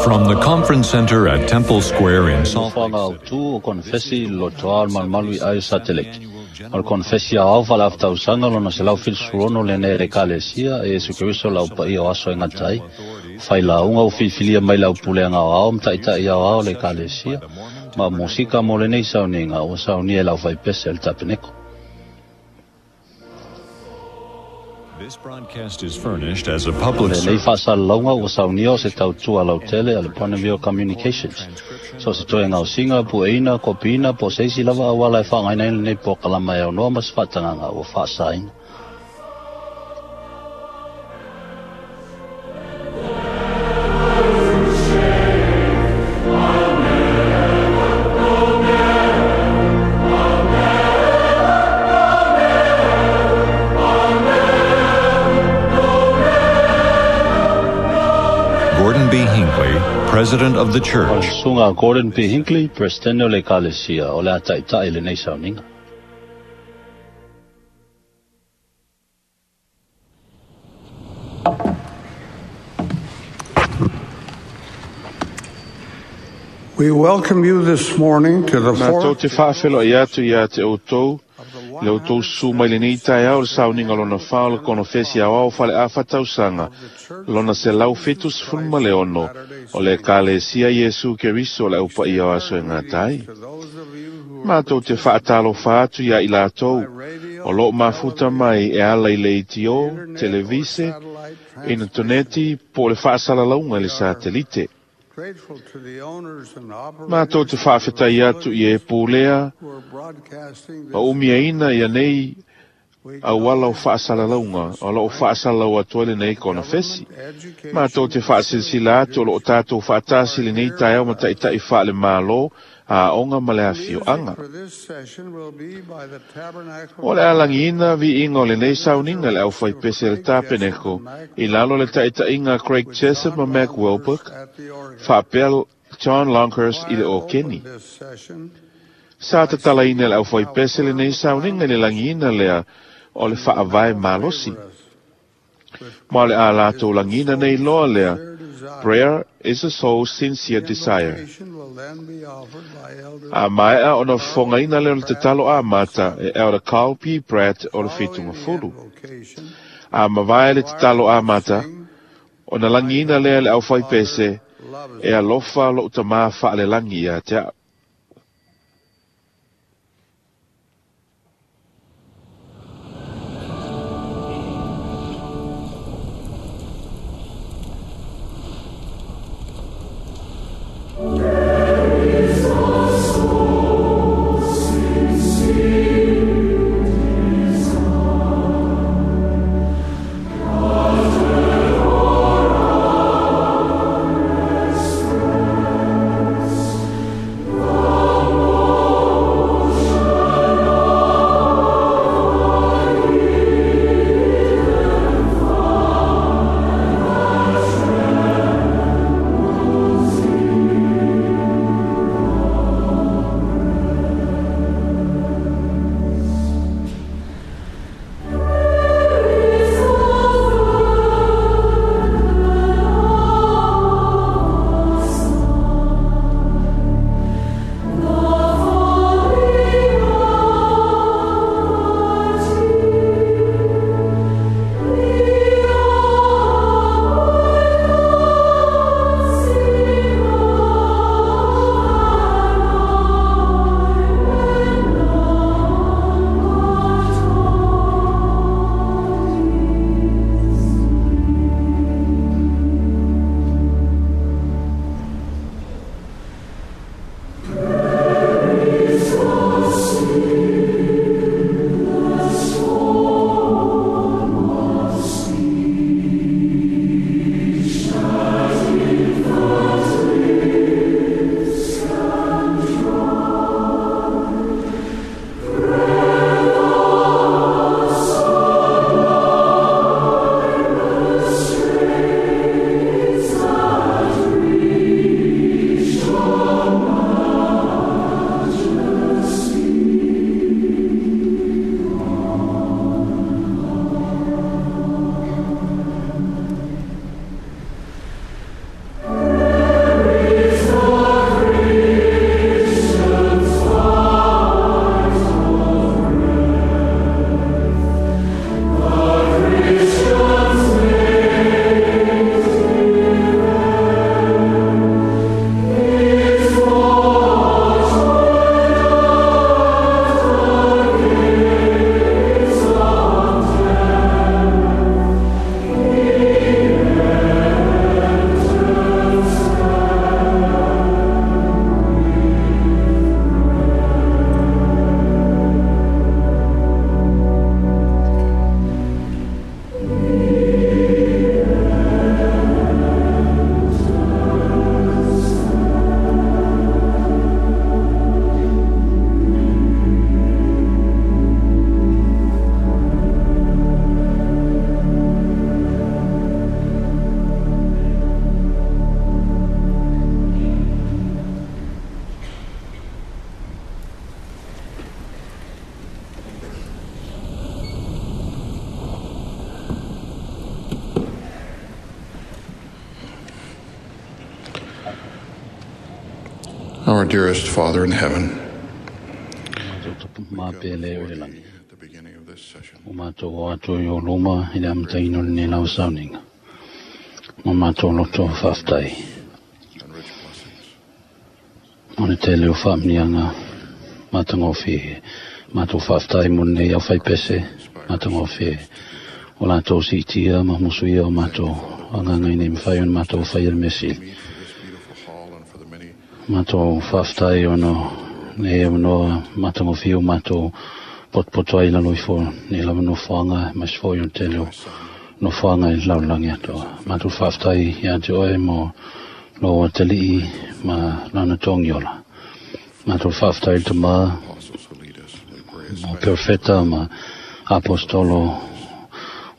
From the Conference Center at Temple Square in Salt Lake Nofoaga autu o konefesi i le lotoa o le malumalu i ai satelite. O le konefesi aoao faale-afa tausaga lona 176 lenei e le Ekalesia e Iesu Keriso le Aupaia o aso e gata ai. O failauga ua filifilia mai le aupulega aoao ma ta'ita'i aoao o le Ekalesia, ma o musika mo lenei sauniga ua saunia e le aufaipese a le Tapeneko. This broadcast is furnished as a O public lenei service. faasalalauga ua saunia o se tautua lautele a le Bonneville Communications. So se toe gaosiga, pueina, kopiina, po o se isi lava auala e faaaogaina ai lenei polokalama e aunoa ma se faatagaga ua faasaina. Gordon B. Hinckley, President of the O le Church. susuga a Gordon B. Hinckley, Peresetene o le Ekalesia, o le a ta'ita'i lenei sauniga. We welcome you this morning to the Matou fourth te whaawhelo i atu i a te outou, le outou su mai lenei taeao le sauniga lona whā o le konofesi aoao fale afa tausaga, lona 176 o le Ekalesia Iesu Keriso le aupaia o aso e gata ai. Matou te whaatalofa atu ia i latou, o loo mafuta mai e ala i le ATO, televise, initoneti po o le faasalalauga i le satelite. grateful to the owners and Matou operators te whaawhetai atu i e pūlea, who are broadcasting ma this. umiaina ia nei We auala o faasalalauga o loo faasalalau atu ai lenei konofesi. Matou te faasilasila atu o loo tatou faatasi lenei taeao ma ta'ita'i faale-Mālō, aoga ma le afioaga. for this session will be by the Tabernacle O le alagiina viiga o lenei sauniga le aufaipese le Tapeneko, i lalo le ta'ita'iga Craig Jessup ma Mac Wilbur, at the organ. faapea John Longhurst i le okeni. This session, Sa tatalaina le aufaipese lenei sauniga i le lagiina lea o le faavae malosi. Ma o le a latou lagiina nei loa lea, Prayer is a soul's sincere desire. invocation will then be offered by Elder A maea ona fofogaina lea o le tatalo amata e Elder Carl P. Pratt o le Fitugafulu. invocation. A mavae le tatalo amata, ona lagiina lea le aufaipese e alofa lou tamā faalelagi ia te a'u. Thank Our dearest Father in heaven, Ma pele o le lagi. at the beginning of this session, O mātou o atu i o loma i le amataina o lenei lau sauniga. Ma mātou loto faafetai. and rich blessings. O le tele o faamnianga matagofie. Mātou faafetai mo lenei au whaipese matagofie. O latou siitia ma musuia o mātou agaga ina ia mafai ona mātou faia le mea sili. Meet for this beautiful hall and for the many Mātou faafetai ona nei avanoa matagofie o mātou potopoto ai i lalo ifo nei lava nofoaga aemaise foi o le tele o nofoaga i le lalolagi atoa. Mātou faafetai ia te oe mo lou atalii ma lana togiola. Mātou faafetai i le tamā apostles who lead us. We pray mo perofeta ma apostolo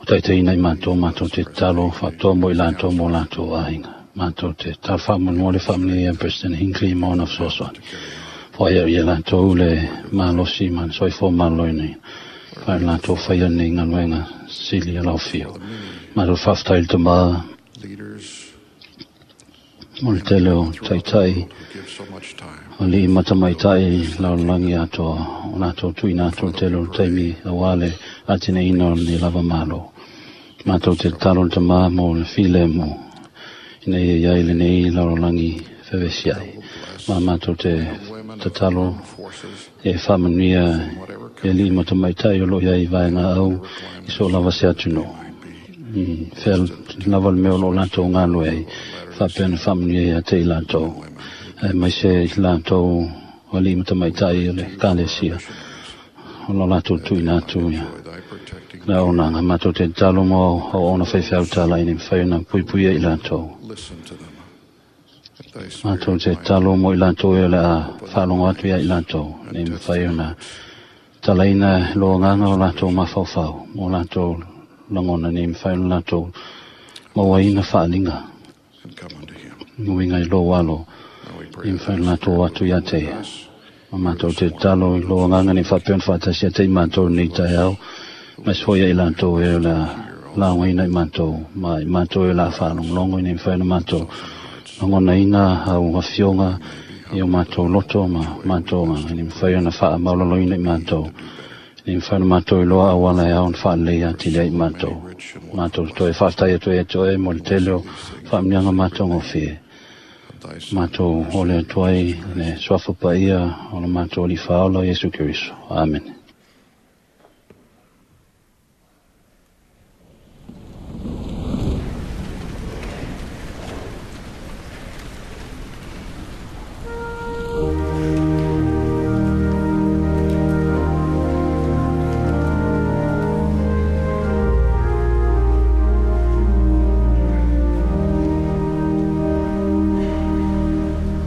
o taitaiina i mātou, mātou te tatalo faapitoa mo i latou mo latou aiga. Mātou te tatalo faamolemole le faamanuia ia President Hinckley ma ona fesoasoani. Foai au ia latou le malosi ma le soifua maloloina. Fae latou faia nei galuega sili o lau fio. Mātou faafetai i le tamā leaders mo le tele o taitai who give so much time alii ma tamaitai lalolagi atoa o latou tuuina atu le tele o le taimi auā le atiaeina o lenei lava malo. Mātou te tatalo i le tamā mo le filemu ina ia iai lenei lalolagi fevesiai. Ma mātou te tatalo forces e faamanuia e alii ma tamaitai o loo iai i vaega au i so lava se atunuu. Fea lava le mea o loo latou galue ai faapea na faamanuia ia te i latou. Aemaise i latou alii ma tamaitai o le ekalesia o lo latou tuuina atu ia by thy protecting le auaunaga. Matou te tatalo mo auauna faifeau talai ina ia mafai ona puipuia i latou. listen to them. That thy Matou spirit te might tatalo mo i latou e o le a faalogo atu ia i latou ina ia mafai ona talaina lo agaga o latou mafaufau mo latou lagona ina ia mafai ona latou mauaina faaliga and come unto him. uiga i lou alo Now we pray ia that mafai thy ona latou o atu ia te ia. Ma mātou te tatalo i lou agaga ina ia faapea ona faatasi ia te i mātou nei taeao aemaise foi ia i latou e o le a laugaina i mātou ma i mātou e o le a faalogologo ina ia mafai ona mātou lagonaina au afioga i o mātou loto ma mātou agaga ina ia mafai ona faamaulaloina i mātou ina ia mafai ona mātou iloa auala e ao ona faalelei atili ai i mātou. Mātou toe faafetai atu ai ia te oe mo le tele o faamanuiaga matagofie. of thy Son, Mātou ole atu ai le suafa paia o le mātou Alii Faaola o Iesu Keriso. Amene.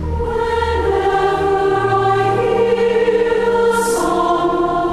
Whenever I hear the song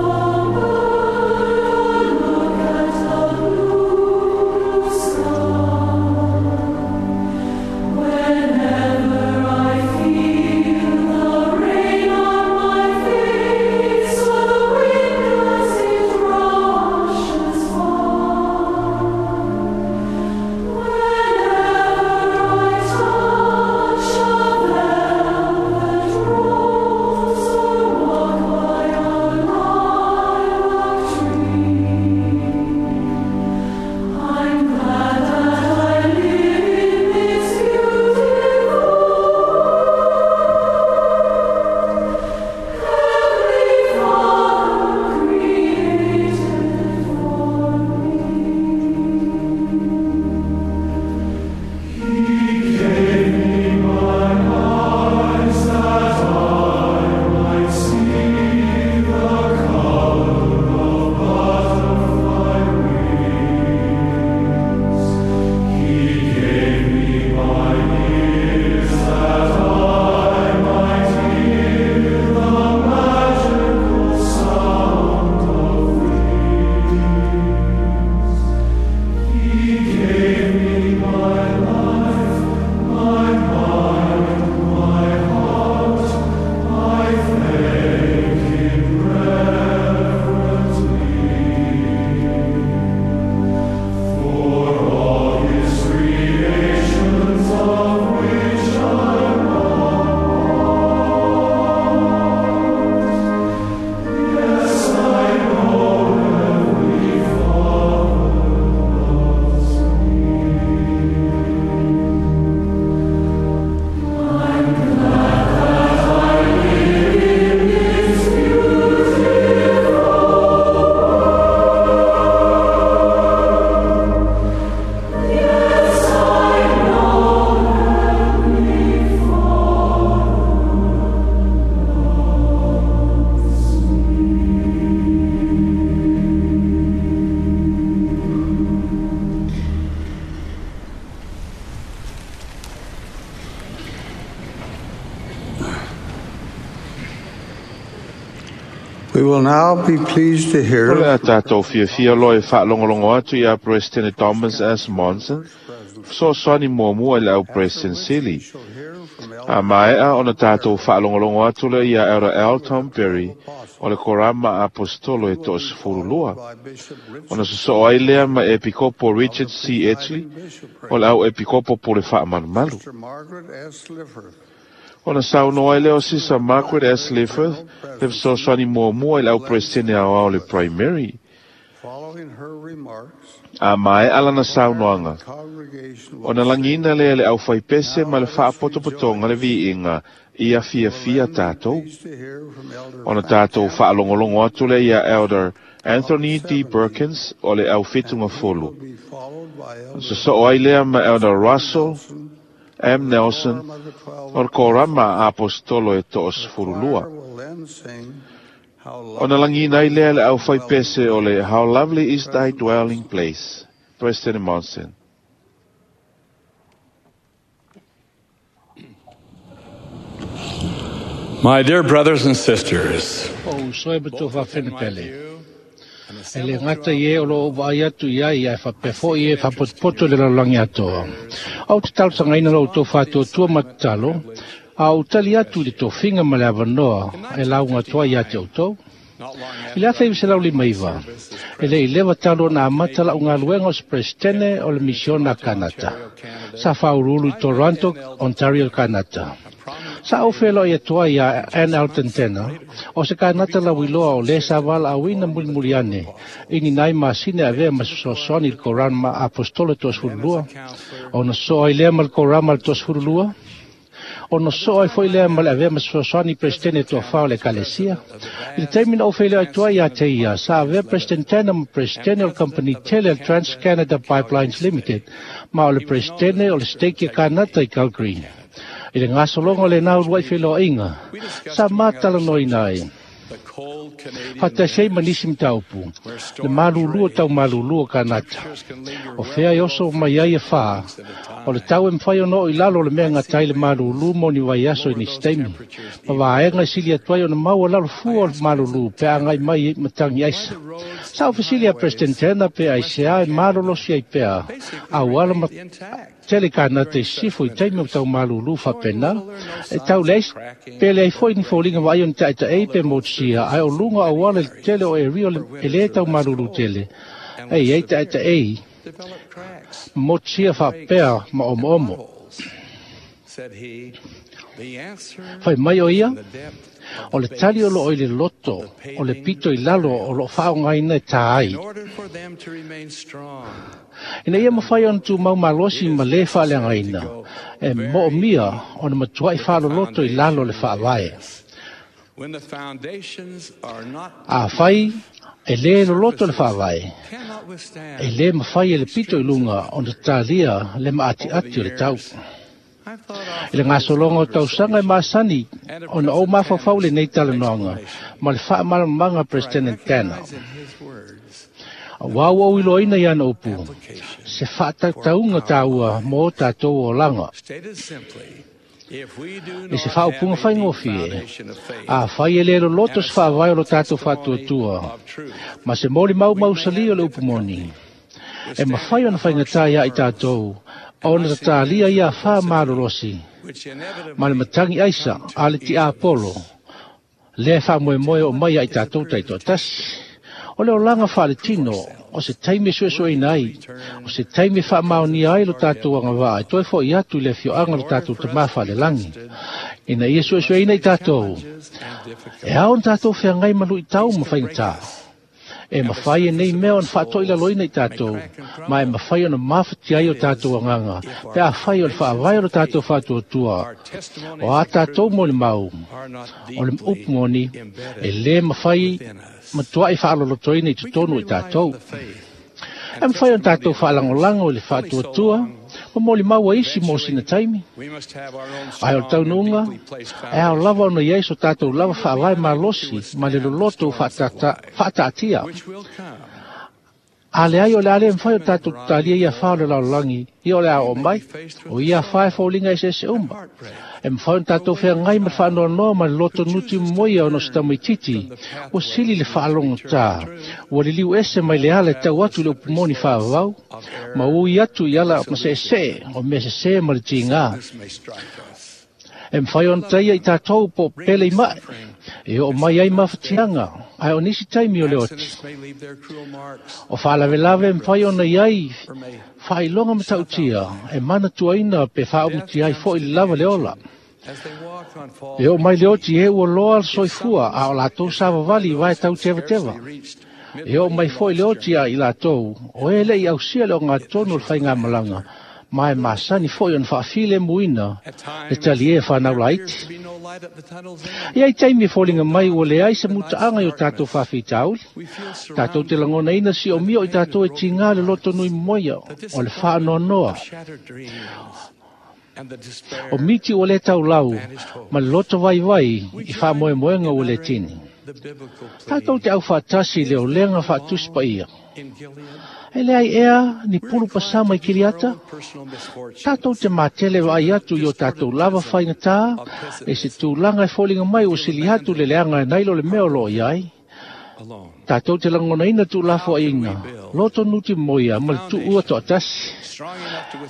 We will now be pleased to hear O le a tātou fiafia loa e faalogologo atu iā Peresetene Thomas S. Monson, fesoasoani muamua i le au Peresetene Sili. A maea ona tātou faalogologo atu lea iā Elder L. Tom Perry o le Korama Aposetolo e 12, ona sosoo ai lea ma Epikopo Richard C. Edgley o le au Epikopo Pule Faamalumalu. Ona saunoa ai lea o Sisa Margaret S. Lifferth le fesoasoani muamua i le au Peresetene Aoao le Primary. A maea lana saunoaga, ona lagiina lea e le aufaipese ma le faapotopotoga le viiga ia fiafia tātou. Ona tātou faalogologo atu lea iā Elder Anthony D. Perkins o le au Fetugafolo. Ona sosoo ai lea ma Elder Russell M. Nelson o le Korama Aposetolo e 12. Ona lagiina ai lea le aufaipese o le How Lovely is Thy Dwelling Place, President Monson. My dear brothers and sisters, O uso e ma tou faafene pele. E le gata i e o loo ou vaai atu i ai, ae faapea foi i e faapotopoto i le lalolagi atoa. Ou te talosagaina lo outou faatuatua ma tatalo, a ou tali atu i le tofiga ma le avanoa e lauga atu ai ia te outou. I le 1959, e le i leva talu ona amata la'u galuega o se Peresetene o le Misiona a Kanata. Sa faauluulu i Toronto, Ontario, Kanata. Sa ou feloai atu ai iā Ann Elton Tanner, o se kanata lauiloa o lē sa valaauina mulimuli ane i ni nai masina e avea ma se fesoasoani i le Korama Aposetolo 22, ona sosoo ai lea ma le Korama le 22, ona sosoo ai foi lea ma le avea ma se fesoasoani i Peresetene toafa o le Ekalesia. I le taimi na ou feiloai atu ai iā te ia, sa avea President Tanner ma Peresetene o le kamupani tele a le Trans-Canada Pipelines Limited, ma o le Peresetene o le Stake a Kanata i Calgary. I le gasologa o lena uluai feiloaiga, sa matalanoaina ai, faatasi ai ma nisi mataupu, le malulu o tau malulu o Kanata. O fea e oso mai ai e whā, o le tau e mawhai ona oo i lalo o le mea gata ai le malulu mo ni vaiaso i nisi taimi. Ma vaega e sili atu ai ona maua lalo fua o le malulu pe a agai mai matangi aisa. Sa ou fesili a President Tanner pe aisea e malolosi ai pea auala ma tele Kanata i sisifo i taimi o tau malulu faapena, e tau leai pe leai foi ni foliga vaaia o ni taetaei pe motusia, ae o luga o auala i le tele o area e lē tau malulu tele, e i ai taetaei ma motusia faapea ma omoomo. Fai mai o ia, o le tali o loo i le loto o le pito i lalo o loo faaaogaina e tā ai. Ina ia mafai ona tumau malosi ma lē faaleagaina, e moomia ona matuai faaloloto i lalo o le faavae. Afai e lē loloto le faavae, e lē mafai e le pito i luga ona talia le maatiati o le tau. I le gasologa o tausaga e masani ona ou mafaufau i lenei talanoaga ma le faamalamalamaga a Peresetene Tanner. Aua ua ou iloaina i ana upu, se faatautauga taua mo o tatou olaga. I se faaupuga faigofie, afai e le loloto se faavae o lo tatou faatuatua ma se molimau mausali o le upu moni, e mafai ona faigata iā i tatou ona tatalia ia afa malolosi ma le matagi aisa a le tiapolo lea e faamoemoe oo mai ia i tatou taitoatasi. O le olaga faaletino, o se taimi e suesueina ai, o se taimi e faamaonia ai lo tatou agavaa e toe fo'i atu i le afioaga o lo tatou Tamā Faalelagi, ina ia suesueina i tatou, e ao ona tatou feagai ma luitau ma faigata. E mafai e nei mea ona faatoilaloina i tatou, ma e mafai ona mafatia ai o tatou agaga, pe afai o le faavae o lo tatou faatuatua, o a tatou molimau, o le upu moni, e lē mafai matuai faalolotoina i totonu o i tatou. E mafai ona tatou faalagolago i le faatuatua ma molimau a isi mo sina taimi. Ae o le taunuuga, e ao lava ona i ai so tatou lava faavae malosi ma le loloto ua faataatia. A leai o le a le mafai ona tatou talia ia afa o le lalolagi, ia o le a oo mai, o ia afa e foliga eseese uma. E mafai ona tatou feagai ma le faanoanoa ma le loto nuti momoia ona o se tamaitiiti, ua sili le faalogotā, ua liliu ese mai le ala e tau atu i le upu moni faavavau, ma ui atu i ala maseesee o mea sesē ma le tigā. E mafai ona taia i tatou po o pele i mae, e oo mai ai mafatiaga, ae o nisi taimi o le oti. O faalavelave e mafai ona i ai faailoga matautia e manatuaina pe faaumutia ai foi le lava le ola. E oo mai le oti e ua loa le soifua a o latou savavali i vae tau tevateva. E oo mai foi le oti a i latou o e le'i ausia le ogatotonu o le faigamalaga, ma e masani foi ona faafilemuina le talie fanau laiti. E i ai taimi e foliga mai ua leai se mutaaga i o tatou faafitauli. Tatou te lagonaina siomia o i tatou e tigā le loto nui momoia o le faanoanoa. O miti ua le taulau ma le loto vaivai i faamoemoega ua le tini. Tatou te aufaatasi i le olega faatusi paia. E leai ea ni pulu pasama i Kiliata? Tatou te matele vaai atu i o tatou lava faigata e se tulaga e foliga mai ua sili atu le leaga e nai lo le mea o loo i ai. Tatou te lagonaina tuulafoaiga, loto nuti moia ma le tuua toatasi.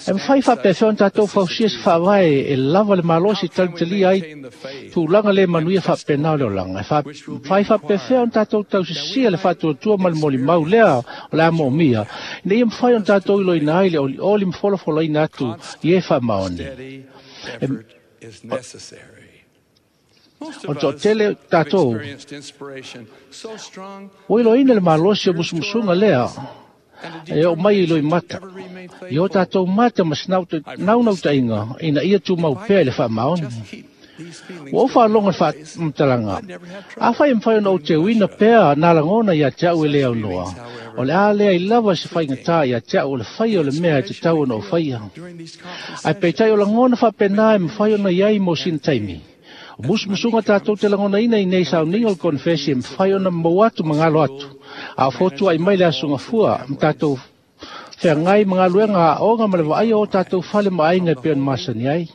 E mafai faapefea ona tatou fausia se faavae e lava le malosi e talitalia ai tulaga le manuia faapena o le olaga. E mafai faapefea ona tatou tausisia le faatuatua ma le molimau lea o le a moomia, ina ia mafai ona tatou iloina ai le olioli ma folafolaina atu i e faamaoni. O le toatele tatou ua iloaina le malosi o musumusuga lea e oo mai i loimata, i o tatou mata ma se naunautaiga ina ia tumau pea i le faamaoni. Ua ou faalogo i le faamatalaga, afai e mafai ona ou teuina pea nā lagona ia te au e le aunoa, o le a leai lava se faigata ia te au o le faia o le mea e tatau ona ou faia. Ae peitai o lagona faapena e mafai ona i ai mo sina taimi. O musumusuga tatou te lagonaina i nei sauniga o le konefesi e mafai ona maua atu ma galo atu, a o fotuai mai le aso gafua ma tatou feagai ma galuega aoga ma le vaaia o tatou fale ma aiga e pei ona masani ai.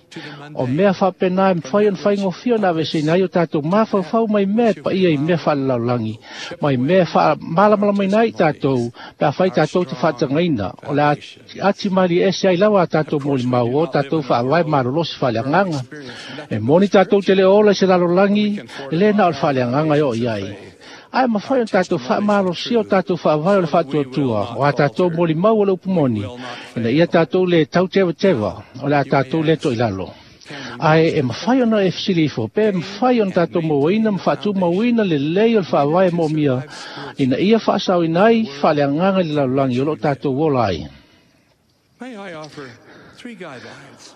O mea faapena e mafai ona faigofie ona aveeseina ai o tatou mafaufau mai mea e paia i mea faalelalolagi, mai mea e faamalamalamaina ai i tatou pe afai tatou te faatagaina o le ati malie ese ai lava a tatou molimau o tatou faavae malolosi faaleagaga. E moni tatou te le ola i se lalolagi e le na o le faaleagaga e oo i ai. Ae mafai ona tatou faamalosia o tatou faavae o le faatuatua o a tatou molimau o le upu moni, ina ia tatou le tautevateva o le a tatou le toilalo. Ae e mafai ona e fesili ifo pe mafai ona tatou mauaina ma faatumauina lelei o le faavae moomia ina ia faasaoina ai faaleagaga i le lalolagi o loo tatou ola ai.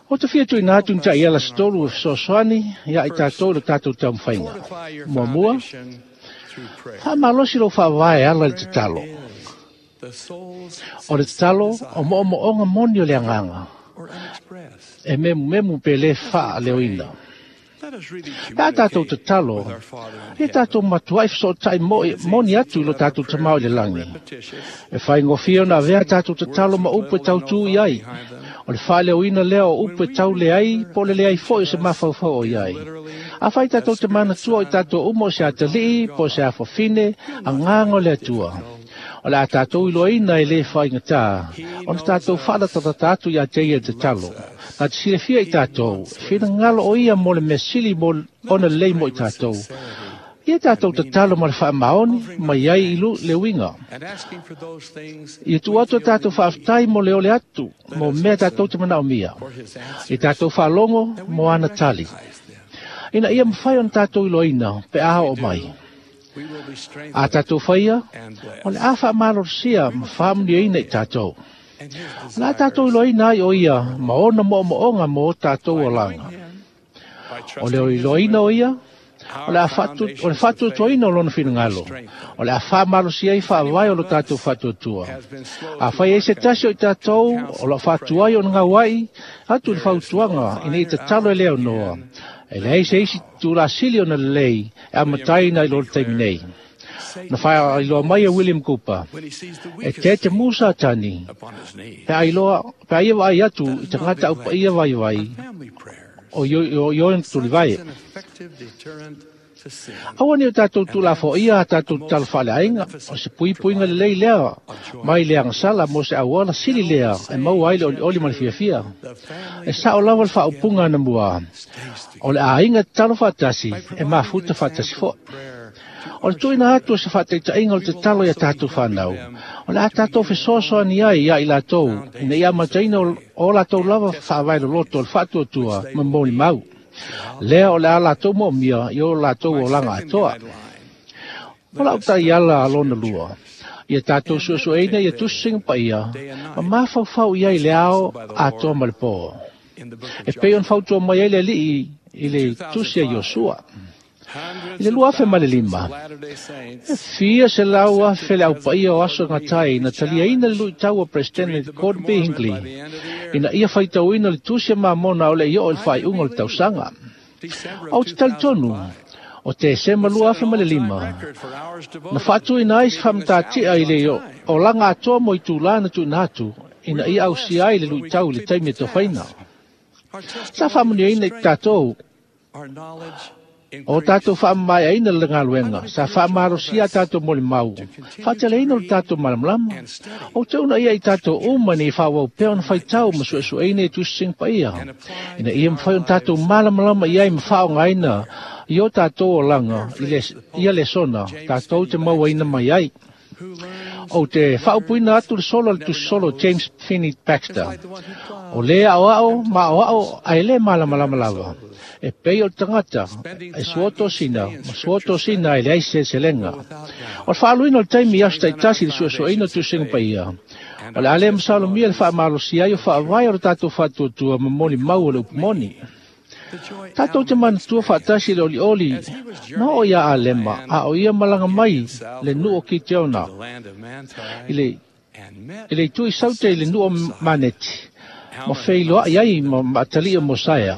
O te fia tuuina atu ni taiala se tolu e fesoasoani ia i tatou i le tatou taumafaiga. Muamua, faamalosi lou faavae e ala i le tatalo. O le tatalo o moomooga moni o le agaga, e memumemu pe le faaleoina. Pe a tatou tatalo, ia tatou matuai fesootai moni atu i lo tatou tamao i le lagi. E faigofie ona avea tatou tatalo ma upu e tautū i ai. O le faaleoina lea o upu e tau leai po o le leai foi o se mafaufau o i ai. Afai tatou te manatua o i tatou uma o se atalii po o se afafine, agaga o le Atua. O le a tatou iloaina e le faigata ona tatou faalatalata atu ia te ia i le tatalo. Na te silafia i tatou, e finagalo o ia mo le mea sili mo ona lelei mo i tatou. Ia tatou tatalo ma le faamaoni mai ai i le uiga. Ia tuu atu a tatou faafetai mo le ole atu, mo mea tatou te manaomia. Ia tatou faalogo mo ana tali. Ina ia mafai ona tatou iloaina pe a oo mai. A tatou faia, o le a faamalolosia ma faamanuiaina i tatou. O le a tatou iloaina ai o ia ma ona moomooga mo o tatou olaga. O le iloaina o ia, o le faatuatuaina o lona finagalo, o le a faamalosia ai faavae o lo tatou faatuatua. Afai ai se tasi o i tatou o loo faatuai ona gauai atu i le fautuaga ina ia tatalo e le aunoa, e leai se isi tulasili ona lelei e amataina i lo le taimi nei. Na faailoa mai e William Cooper, e te musa tani, pe aia vaai atu i tagata au paia vaivai o ioe tulivae. Aua ni o tātou tūlafo ia a tātou tatalo faaleaiga, o se puipuiga lelei lea mai le agasala mo se auala sili lea e maua ai le olioli ma le fiafia. E sa'o lava le faaupuga anamua, o le aiga tatalo faatasi e mafuta faatasi fo'i. O le tuuina atu o se faataitaiga o le tatalo ia tātou whanau. O le a tātou fesoasoani ai ia i latou, ina ia amataina o latou lava faavae loloto o le faatuatua ma molimau. Lea o le a latou moomia i o latou olaga atoa. O lau taiala a lona lua, ia tātou suesueina ia tusiga paia, ma mafaufau i ai le ao atoa ma le pō. E pei ona fautua mai ai le alii i le tusi a Iosua. I le 2005, e fia se lau afe le aupaia o aso ngatai na taliaina le luitau o Presidente Gordon B. Hinckley ina ia faitauina le tusi a Mamona o le i oo i le faaiuga o le tausaga. Ou te talitonu, o Tesema 2005, na faatuina ai se faamatatia i le olaga atoa mo itulā na tuuina atu ina ia ausia ai le luitau i le taimi e tofaina. Sa faamanuiaina i tatou o tātou faamamaeaina le galuega, sa faamalosia tātou molimau, faateleina o le tātou malamalama. O te una ia i tātou uma nei faauau pea ona faitau ma suesueina i tusiga paia, ina ia mafai ona tātou malamalama i ai ma faaaogaina i o tātou olaga ia lesona tātou te mauaina mai ai. O te faaupuina atu le solo le tusisolo James Finney Baxter. O le aoao ma aoao ae le malamalama lava. E pei o le tagata e suotosina ma suotosina e leai seleselega. O le faaluina o le taimi i aso taitasi i le suesueina o tusiga paia. O le a le masalomia le faamalosia ai o faavae o le tatou faatuatua ma molimau o le upu moni. Tātou te manatua faatasi le olioli na o ia Alema, a o ia malaga mai le nuu o Kiteona i le itu i saute i le nuu o Maneti, ma feiloai ai ma maatalia Mosaia.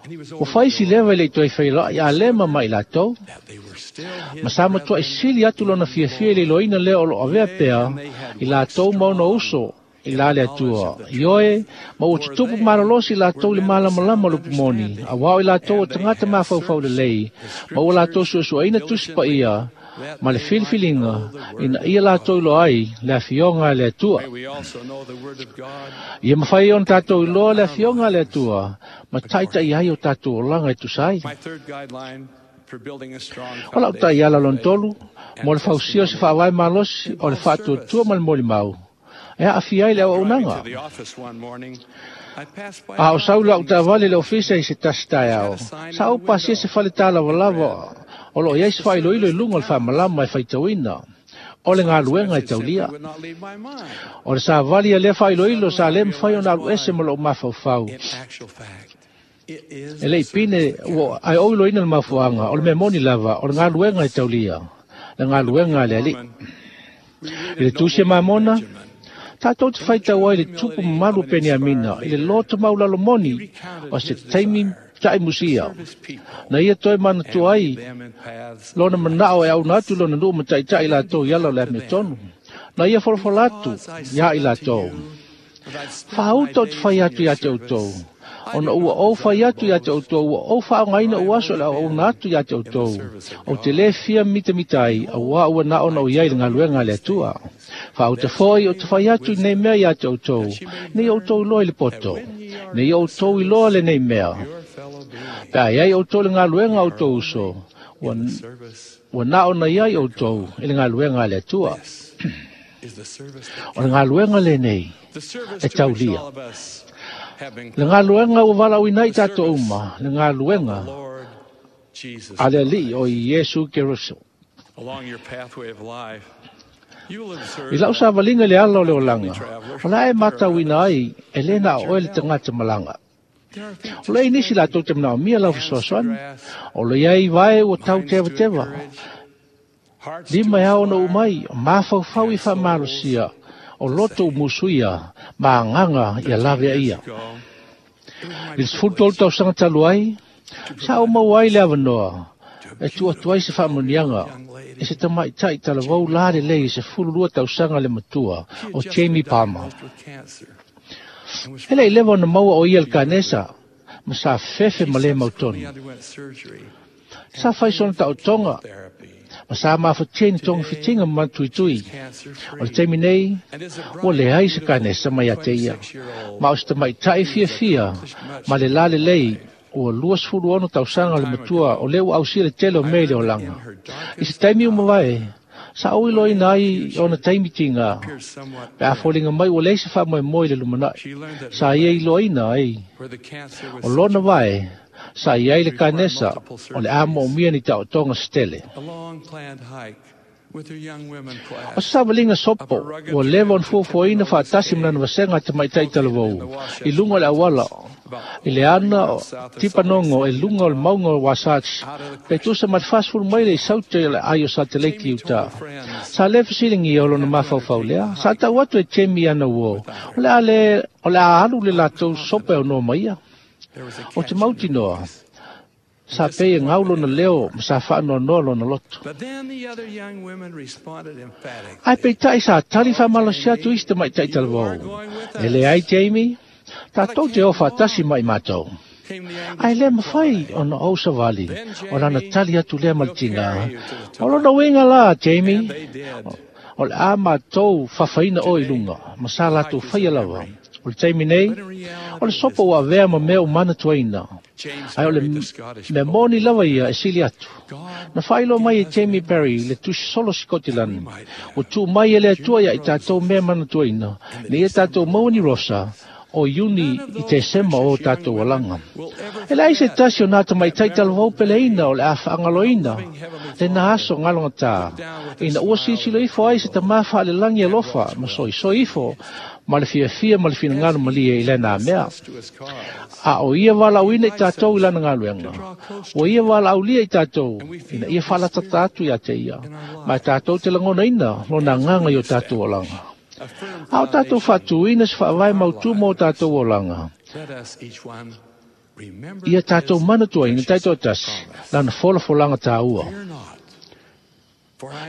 Ua faisi leva i le itu ai feiloai Alema ma i latou, ma sa matua i sili atu lona fiafia i le iloaina lea o lo avea pea i latou ma ona uso i la le atua. Ioe, ma ua tutupu malolosi latou le malamalama o le upu moni, auā o i latou o tagata mafaufau lelei, ma ua latou suesueina tusi paia ma le filifiliga ina ia latou iloa ai le afioga a le Atua. Ia mafai ona tatou iloa le afioga a le Atua ma taitai ai o tatou olaga e tusa ai. O lau taiala lona tolu, mo le fausia o se faavae malosi o le faatuatua ma le molimau, e aafia ai le auaunaga. A o sau lau taavale i le ofisa i se tasi taeao, sa ou pasia se fale talavalava o loo iai se faailoilo i luga o le faamalama e faitauina o le galuega e taulia. O le savali a lea faailoilo sa le mafai ona alu ese ma lou mafaufau. E lei pine ua ae ou iloina le mafuaaga o le mea moni lava o le galuega e taulia, le galuega a le alii. I le tusi a Mamona, tātou te faitau ai le tupu mamalu o Peniamina i le loto maulalo moni o se taimi ta'imusia. Na ia toe manatua ai lona mana'o e auna atu lona nuu ma ta'ita'i latou i ala o le amiotonu. Na ia folafola atu iā i latou. Faauta o te fai atu iā te outou. Ona ua ou fai atu iā te outou, ua ou faaaogaina ou aso e le auauna atu iā te outou. Ou te lē fia mitamita ai, auā ua na ona o iai le galuega a le Atua. Faauta foi o te fai atu i nei mea iā te outou, nei outou iloa i le poto, nei outou iloa lenei mea. Pe a iai outou le galuega a outou uso, ua na ona iai outou i le galuega a le Atua. O le galuega lenei e taulia. Le galuega ua valaauina ai tatou uma, le galuega a le Alii o Iesu Keriso. I lau savaliga i le ala o le olaga, o le a e matauina ai e lē na o oe le tagata malaga. O le ai nisi latou te manaomia lau fesoasoani, o le iai vae ua tau tevateva. Lima e ao ona ou mai, mafaufau i faamalosia o loto u musuia ma agaga ia lavea ia. I le 13 tausaga talu ai, sa ou maua ai le avanoa E tuu atu ai se faamuniaga e se tamaitai talavou la lelei i 12 tausaga le matua o Jamie Palmer. E le'i leva ona maua o ia le kanesa ma sa fefe ma lē mautonu. Sa fai sona taotoga ma sa mafatia i ni togafitiga ma manatuitui. O le taimi nei ua leai se kanesa mai ia te ia, ma o se tamaitai fiafia ma le lalelei ua 26 tausaga le matua o lea ua ausia le tele o mea i le olaga. I se taimi ua mavae, sa ou iloaina ai ona taimi tiga, pe a foliga mai ua leai se faamoemoe i le lumanai. Sa ia iloaina ai o lona vae sa i ai le kanesa o le a moomia ni taotoga se tele. O se savaliga sopo ua leva ona fuafuaina faatasi ma lana vasega a tamaitai talavou i luga o le auala i le ana o Tipanogo e luga o le mauga o Wasatch pe tusa ma le 40 maile i saute o le aai o Sateleki i uta. Sa le fesiligia o lona mafaufau lea, sa tau atu e Jamie ana uo, o le a le o le a alu le latou sopo e aunoa ma ia. O te mautinoa, sa pei e gau lona leo ma sa faanoanoa lona loto. Ae peitai sa tali faamalosi atu isi tamaitai talavou. E leai Jamie, tatou te o faatasi ma i matou. Ae le mafai ona ou savali o lana tali atu lea ma le tiga. O lona uiga la, Jamie, o le a matou fafaina oe i luga, ma sa latou faia lava. O le taimi nei, o le sopo ua avea ma mea ua manatuaina, ae o le mea moni lava ia e sili atu. Na faailoa mai e Jamie Perry le tusi solo Sikotilani, ua tuu mai e le Atua ia i tatou mea manatuaina, ina ia tatou maua ni rosa o Iuni i Tesema o tatou alaga. E leai se tasi o nā tamaitai talavou peleina o le a faagaloina lena aso galogatā, ina ua silasila ifo ai se tamā faalelagi alofa ma soisoi ifo ma le fiafia ma le finagalo malie i lena mea. A o ia valaauina i tatou i lana galuega, ua ia valaaulia i tatou ina ia faalatata atu ia te ia, ma e tatou te lagonaina lona agaga i o tatou olaga. A o tatou faatuina se faavae mautū mo o tatou olaga, ia tatou manatuaina taitoatasi lana folafolaga tāua.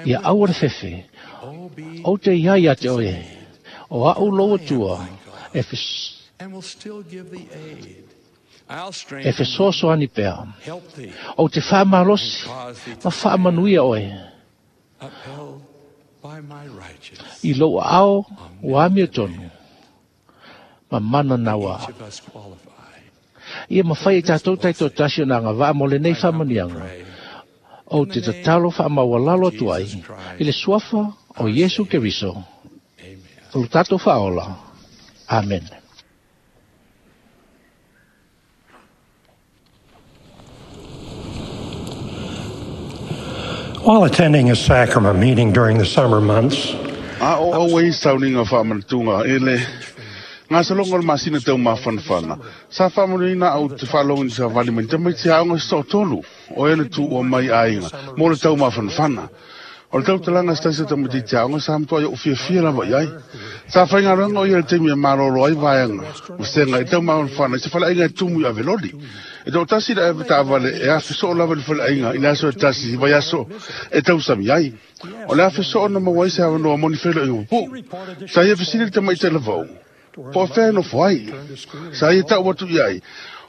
Ia aua le fefe, ou te iai ia te oe, o a'u lou Atua e e fesoasoani pea. Ou te faamalosi ma faamanuia oe i lou aao ua amiotonu ma mana naua. Ia mafai e tatou taitoatasi ona agavaa mo lenei faamanuiaga. Ou te tatalo faamaualalo atu ai i le suafa o Iesu Keriso, o lo tatou Faaola. Amene. While attending a sacrament meeting during the summer months, A o auai sauniga faamanatuga e le gasologa o le masina taumafanafana, sa faamanuiaina au te faalogo i ni savali ma ni tamaiti aoga se toatolu o e na tuua mai aiga mo le taumafanafana. O le tautalaga a se tasi o tamaitiiti aoga sa matuai ou fiafia lava i ai. Sa faigaluega o ia i le taimi e malolo ai vaega vasega i taumafanafana i se faleaiga e tumu i Aveloli. E toatasi le ave taavale e afe soo lava i le faleaiga i le aso e tasi i vaiaso e tausami ai. O le afe soo na maua ai se avanoa mo ni feiloaiga pupuu. Sa ia fesili i le tamaitai lavou, Po o fea e nofo ai? Sa ia tau atu i ai,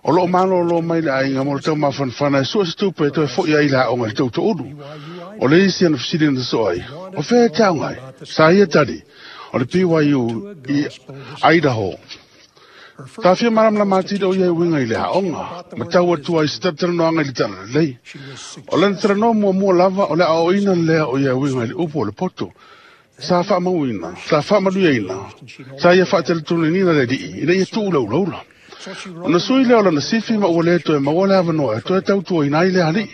O loo malōlō mai le aiga mo le taumafanafana e sua se tupe e toe fo'i ai i le aoga i le tautoulu. O le isi ana fesili na sosoo ai, O fea e te aoga ai? Sa ia tali, O le BYU i Idaho. Ka fia malamalama atili o ia e uiga i le aoga, ma tau atu ai se talatalanoaga i le talalelei. O lana talanoa muamua lava o le aoaoina lea o ia e uiga i le upu o le poto. Sa faamauina, sa faamanuiaina, sa ia faateletoniniina le alii ina ia tuu laulaula. Ona sui lea o lana sifi ma ua le toe maua le avanoa e toe tautuaina ai le alii.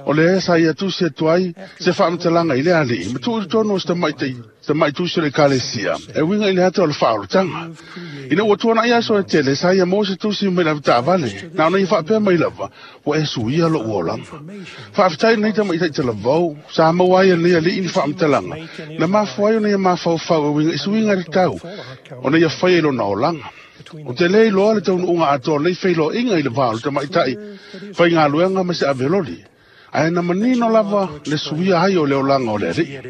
O lea sa ia tusi atu ai se faamatalaga i le alii ma tuu i totonu o se tamai tusi o le Ekalesia e uiga i le ata o le faaolataga. Ina ua tuanai aso e tele, sa ia maua se tusi mai le avetaavale, na ona ia faapea mai lava, Ua e suia lou olaga. Faafetai i lenei tamaitai talavou, sa maua ai e lenei alii ni faamatalaga, na mafua ai ona ia mafaufau e uiga i suiga tatau ona ia faia i lona olaga. Ou te le iloa le taunuuga atoa o lenei feiloaiga i le va o le tamaitai faigaluega ma se aveloli. Ae na manino lava le suia ai o le olaga o le Alii.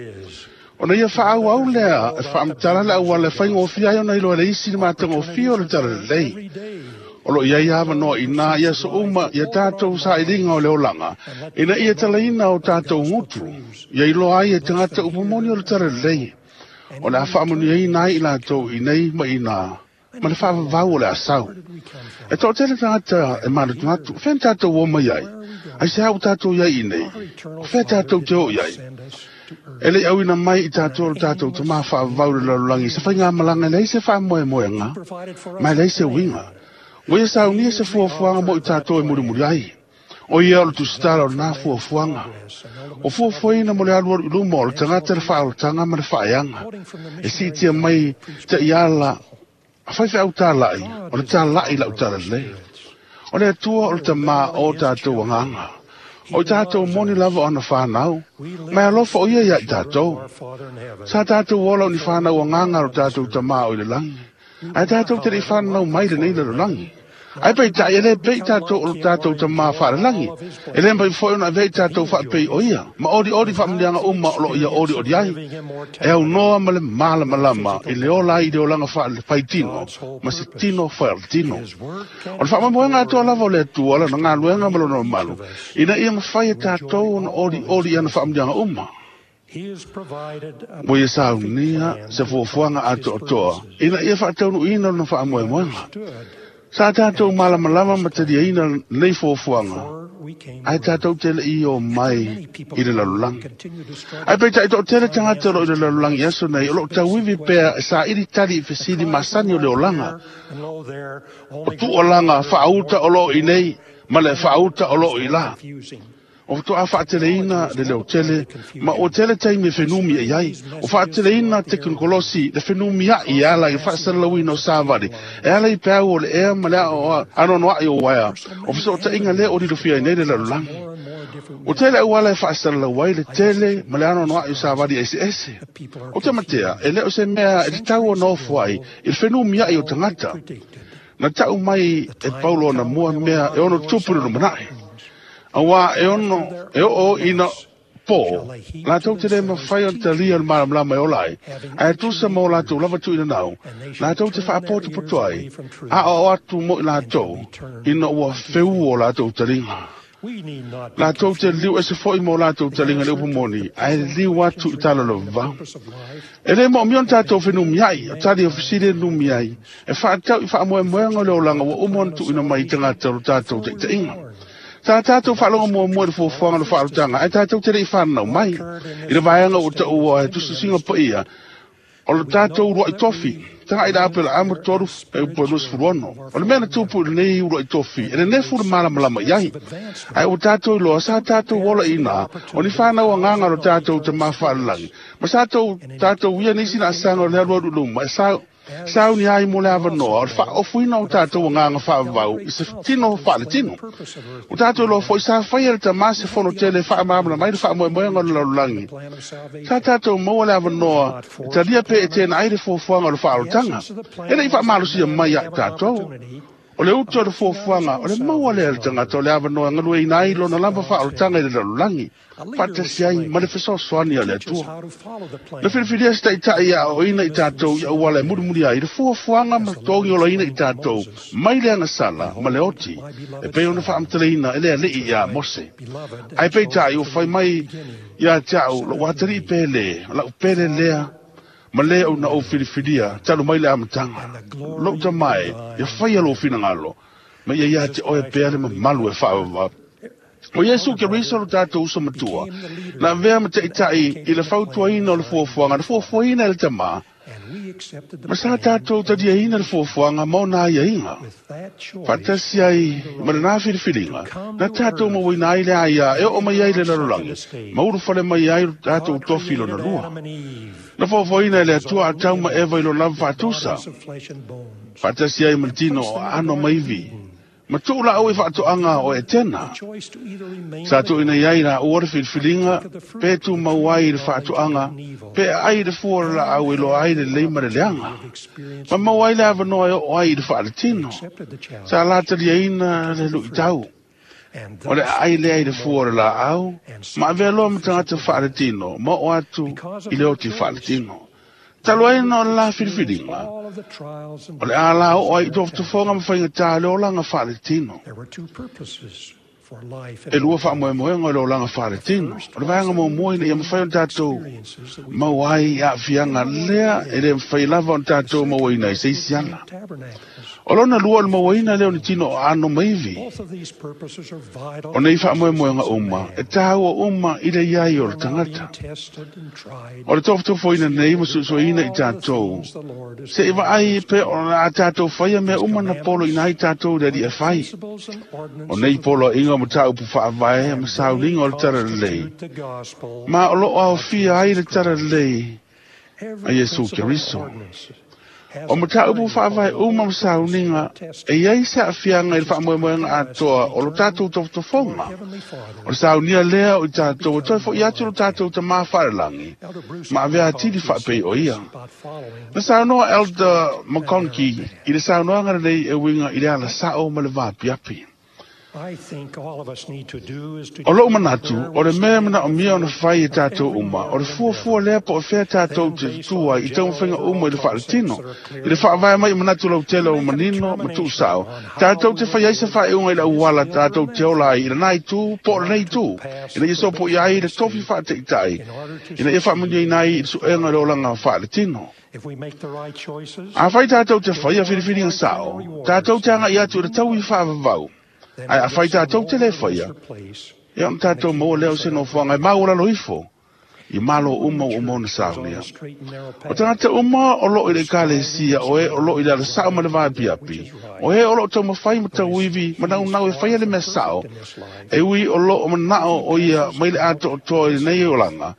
Ona ia faaauau lea e faamatala le auala e faigofie ai ona iloa e le isi le matagofie o le Talalelei. O loo i ai avanoa iina i aso uma ia tatou sailiga o le olaga, ina ia talaina o tatou gutu, ia iloa ai e tagata upu moni o le Talalelei. O le a faamanuiaina ai i latou i nei ma iina ma le faavavau o le asau. E toatele tagata e manatunatu, o fea na tatou o mai ai? Aisea ua tatou i ai i inei? O fea tatou te o i ai? E le i auina mai i tatou lo tatou Tamā faavavau i le lalolagi se faigamalaga e leai se faamoemoega ma e leai se uiga. Ua ia saunia se fuafuaga mo i tatou e mulimuli ai. O ia o le tusitala o lena fuafuaga. Ua fuafuaina mo le alualu i luma o le tagata le faaolataga ma le faaeaga. E siitia mai taiala a faifeau talai, o le talai lau talalelei. O le Atua o le Tamā o tatou agaga. O i tatou moni lava o ana whanau, mai alofa o ia ia i tatou. Sa tatou ola o ni whanau agaga o tatou tamā o i le langi. Ae tatou te le i whanau mai lenei lalolagi. Ae peitai e le pei tatou o lo tatou tamā faalelagi. E le mafai foi ona avea i tatou faapei o ia, ma olioli faamanuiaga uma o loo ia olioli ai. E aunoa ma le malamalama i le ola ai i le olaga faitino ma se tino faaletino. O le faamoemoega atoa lava o le Atua, lana galuega ma lona mamalu, ina ia mafai e tatou ona olioli i ana faamanuiaga uma. Ua ia saunia se fuafuaga atoatoa ina ia faataunuuina lona faamoemoega. Sa tatou malamalama ma taliaina lenei fuafuaga, ae tatou te le i o mai i le lalolagi. Ae peitai toatele tagata o loo i le lalolagi i aso nei o loo tauivi pea e saili tali i fesili masani o le olaga, o tuualaga faauta o loo i nei ma le faauta o loo i la. O faatoa faateleina le leotele ma ua tele taimi e fenumiai ai. Ua faateleina tekonolosi le fenumiai e ala i le faasalalauina o savali, e ala i peau o le ea ma le anoanoai o uaea o fesootaiga lea ua lilofia ai nei le lalolagi. Ua tele auala e faasalalau ai le tele ma le anoanoai o savali eseese. O te matea, e le o se mea e tatau ona ofo ai i le fenumiai o tagata. Na tau mai e Paulo ona mua mea e ono tupu i le lumanai. Auā e ono e oo ina pō, latou te le mafai ona talia le malamalama e ola ai, ae tusa ma o latou lava tuuina nau, latou te faapotopoto ai, aoao atu mo i latou, ina ua feu o latou taliga. Latou te liliu ese foi ma o latou taliga i le upu moni, ae liliu atu i tala o le vavau. E le moomia ona tatou fenumiai, o tali o fesili e numi ai, e faatatau i faamoemoega o le olaga ua uma ona tuuina mai i tagata o lo tatou taitaiga. Sa tatou faalogo muamua i le fuafuaga o le faaolataga, ae tatou te le i fananau mai i le vaega ua taua e tusitusiga paia o le tatou uluai tofi. Tagai i le Apelaamu 3:26. O le mea na tupu i lenei uluai tofi, e nenefu le malamalama i ai. Ae ua tatou iloa, sa tatou ola iina, o ni whanau agaga o lo tatou tamā faalelagi. Ma sa tatou ia nisi laasaga o le alualu i luma, e sa sauni ai mo le avanoa o le faaofoina o tatou agaga faavavau i se tino faaletino. Ua tatou iloa foi sa faia e le Tamā se fono tele e faamalamalama ai le faamoemoega o le lalolagi. Sa tatou maua le avanoa e talia pe e teena ai le fuafuaga o le faaolataga. E le i faamalosia mai ia i tatou. O le utu o le fuafuaga, o le maua lea e le tagata o le avanoa e galueina ai lona lava faaolataga i le lalolagi, faatasi ai ma le fesoasoani a le Atua. Na filifilia se taitai e aoaoina i tatou i auala e mulimuli ai le fuafuaga ma totogi olaina i tatou mai le agasala ma le oti, e pei ona faamatalaina e le Alii iā Mose. Ae peitai ua fai mai ia te au lou atalii pele, o lau pele lea, ma le ou na ou filifilia talu mai le amataga. Lou tama e, ia faia lou finagalo, ma ia ia te oe pea le mamalu e faavavau. O Iesu Keriso lo tatou uso matua, na avea ma taitai i le fautuaina o le fuafuaga, na fuafuaina e le Tama, ma sa tatou taliaina le fuafuaga ma ona aiaiga. Faatasi ai ma lena filifiliga, na tatou mauaina ai le aia e oo mai ai le lalolagi, ma ulufale mai ai lo tatou tofi lona lua. Na fuafuaina e le Atua Atamu ma Eva i lona lava faatusa, faatasi ai ma le tino o aano ma ivi, ma tuu laau i faatoaga o Etena. Sa tuuina i ai laua le filifiliga pe tumau ai i le faatoaga, pe aai i le fua o le laau e iloa ai le lelei ma le leaga, ma maua ai le avanoa e oo ai i le faaletino. Sa lataliaina le luitau. O le aai lea i le fua o le laau, ma avea loa ma tagata faaletino, ma oo atu i le oti faaletino. Talu ai ona o le la filifiliga, o le a la oo ai i tofotofoga ma faigata o le olaga faaletino. E lua faamoemoega o le olaga faaletino. O le vaega muamua ina ia mafai ona tatou maua ai aafiaga lea e le mafai lava ona tatou mauaina i se isi ala. O lona lua o le mauaina lea o ni tino o aano ma ivi. O nei faamoemoega uma, e tāua uma i le iai o le tagata. O le tofotofoina nei ma suesueina i tatou, se i vaai pe o le a tatou faia mea uma na poloina ai tatou i le Alii e fai. O nei poloaiga o mataupu faavae ma sauniga o le Talalelei, ma o loo aofia ai le Talalelei a Iesu Keriso. O mataupu faavae uma ma sauniga e iai se aafiaga i le faamoemoega atoa o lo tatou tofotofoga. O le saunia lea o i tatou e toe fo'i atu lo tatou Tamā faalelagi ma avea atili faapei o ia. Na saunoa Elder McConkie i le saunoaga lenei e uiga i le ala sao ma le vaapiapi. O lou manatu, o le mea e manaomia ona fai e tatou uma, o le fuafua lea po o fea tatou te tutū ai i taumafaiga uma i le faaletino, i le faavae mai i manatu lautele ua manino ma tuusao, tatou te fai ai se faaiuga i le auala tatou te ola ai i lena itu po o lenei itu, ina ia sopoia ai le tofi faataitai, ina ia faamanuiaina ai i le suega o le olaga faaletino. Afai tatou te faia filifiliga sao, tatou te agai atu i le taui faavavau, ae afai tatou te le faia, ia ona tatou maua lea o se nofoaga e maualalo ifo i malo uma ua uma ona saunia. O tagata uma o loo i le ekalesia, o e o loo i le alasao ma le vaapiapi, o e o loo taumafai ma tauivi ma naunau e faia le mea sao, e ui o loo manao o ia mai le atoatoa i lenei olaga,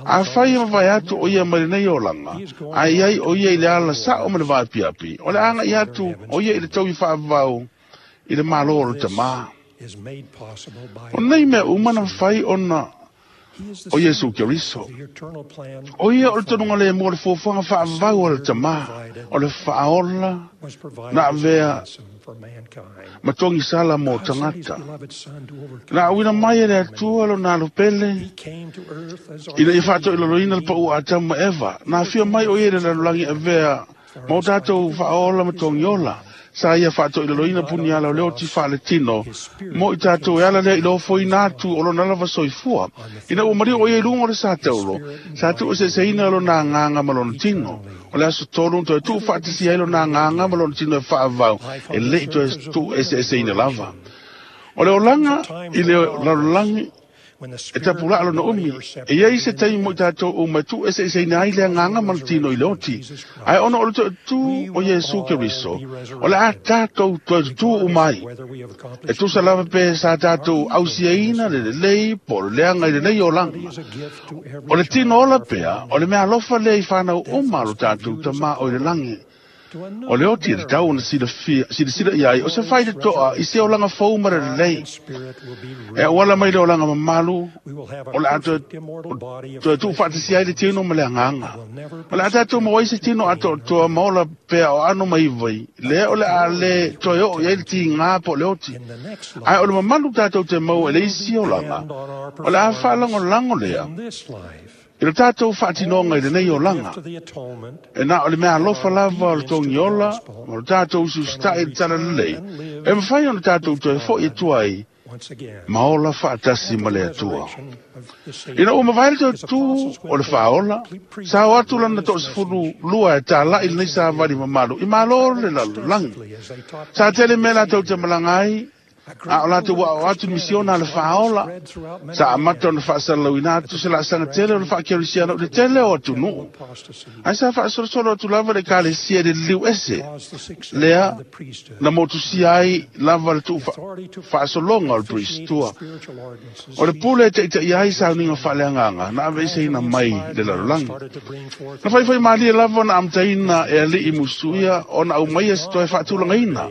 afai e mavae atu o ia mai lenei olaga, ae iai o ia i le ala sao ma le vaapiapi, o le agai atu o ia i le taui faavavau i le malo o le Tamā. O nei mea uma na mafai ona o Iesu Keriso. O ia o le tonuga le mua o le fuafuaga faavavau o le Tamā, o le faaola na avea ma togisala mo tagata. Na auina mai e le Atua lona alopele ina ia faatoilaloina le paua a Atamu ma Eva. Na afio mai o ia i le lalolagi avea ma o tatou faaola ma togiola. Sa ia faatoilaloina puniala o le oti faaletino mo i tatou e ala lea i le ofoina atu o lona lava soifua. Ina ua maliu o ia i luga o le sataulo, sa tuueseeseina lona agaga ma lona tino. O le aso tolu toe tuu faatasia ai lona agaga ma lona tino e faavavau, e lei toe tuueseeseina lava. O le olaga i le lalolagi e tapulaa lona umi, e iai se taimi mo i tatou uma e tuueseeseina ai le agaga ma le tino i le oti. Ae ona o le toetū o Iesu Keriso, o le a tatou toe tutū uma ai. E tusa lava pe sa tatou ausiaina le lelei po o le leaga i lenei olaga. O le tino ola pea, o le mea alofa lea i whanau uma lo tatou Tamā o i le lagi. O le oti e tatau ona silasila i ai, o se fai le toa i se olaga fou ma le lelei. E auala mai le olaga mamalu, o le a toe tuufaatasia ai le tino ma le agaga. O le a tatou maua ai se tino atoatoa ma ola pea o aano ma ivai, lea o le a le toe oo i ai le tigā po o le oti. Ae o le mamalu tatou te maua e le isi olaga, o le a faalagolago lea i le tatou faatinoga i lenei olaga. E na o le mea alofa lava o le togiola ma le tatou usiusita'i i le Talalelei, e mafai ona tatou toe fo'i atu ai ma ola faatasi ma le Atua. Ina ua mavae le toe tū o le faaola, sa o atu lana 12 e tala'i lenei savali mamalu i malo le lalolagi. Sa tele mea latou te malaga ai, a o latou ua atu misiona a le faaola, sa amata ona faasalalauina atu se laasaga tele o le faakerisiana o le tele o atunuu. Ae sa faasolosolo atu lava le ekalesia i le liliu ese, lea na motusia ai lava le tuu faasologa o le peristua. O le pule e taitaia ai sauniga faaleagaga na aveeseina mai le lalolagi. Na faifai malie lava na amataina e alii musuia ona aumaia se toe faatulagaina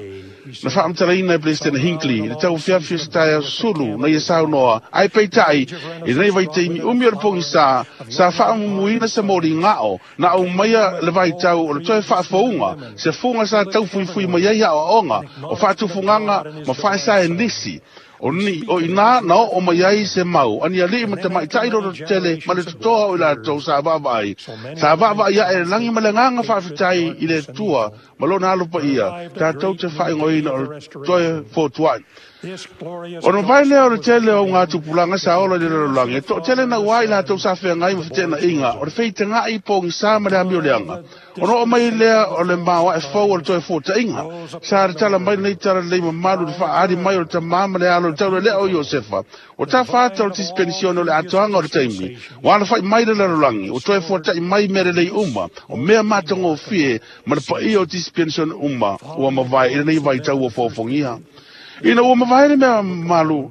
Na faamatalaina e Peresetene Hinckley le tauafiafi o se taeao sulu na ia saunoa ae peitai i lenei vaitaimi umi o le pogisā sa faaumumuina se moligao na aumaia le vaitau o le toe faafouga se fuga sa taufuifui mai ai aoaoga o faatufugaga ma faesaenisi o ni o ina na o mai ai se mau ani ali'i ma tamaita'i lolotetele ma le totoa o i latou sa vaavaai ae le lagi ma le agaga faafetai i le Atua ma lona alo paia tatou te faaigoaina o le toe fotua'i. Ona mavae lea o le tele o augatupulaga sa ola i le lalolagi e to'atele na uā i latou sa feagai ma fete'ena'iga o le feitaga'i pogisā ma le amioleaga. Ona oo mai lea o le maoa'e fou o le toe fuata'iga sa tatala mai lenei talalelei mamalu i le fa'aali mai o le tamā ma le alo i le taulelea o Iosefa. Ua tafa ata o le tisipenisione o le atoaga o le taimi ua alafa'i mai le lalolagi ua toe fuata'i mai mea lelei uma o mea matagofie ma le paia o tisipenisione uma ua mavae i lenei vaitau ua foofogia. Ina ua mavae le mea mamalu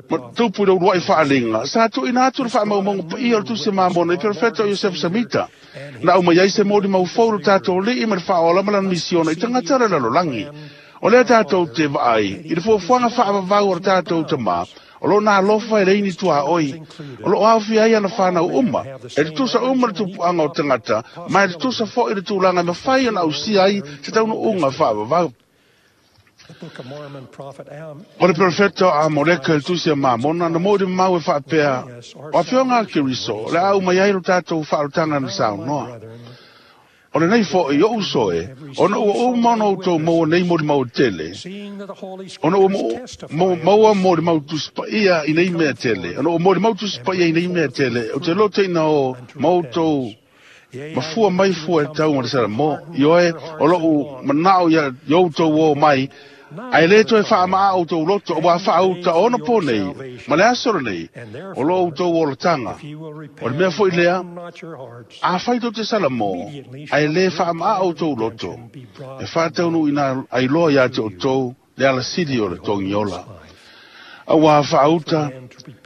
ma tupu i le ulua'i fa'aliga sa tu'uina atu le fa'amaumauga paia o le Tusi Mamona i perofeta o Iosefa Samita na aumai ai se molimau fou lo tatou ali'i ma le fa'aola ma lana misiona i tagata o le lalolagi. O lea tatou te vaai i le fuafuaga fa'avavau o le tatou tamā o lona alofa e leini tuaoi o loo aofia ai ana fanau uma e tutusa uma le tupuaga o tagata ma e tutusa fo'i le tulaga e mafai ona ausia ai se taunuuga fa'avavau. O le perofeta o Amoleka i le Tusi a Mamona na moʻi mau e faapea o afioga a Keriso o le a umai ai lo tatou fa'aolotaga na saunoa. O lenei fo'i o'u soe ona ua uma ona outou maua nei molimau tele ona ua maua molimau tusipaia i nei mea tele ona ua molimau tusipaia i nei mea tele o te loteina o ma outou mafua mai fua e tau ma le Salamo ioe o lo'u mana'o ia outou o mai ae lē toe fa'ama'a outou loto ua fa'auta ona po nei ma le aso lenei o lo outou olataga. O le mea fo'i lea afai tou te Salamo ae lē fa'ama'a outou loto e fa'ataunu'uina ailoa iā te outou le alasili o le togiola. Auā fa'auta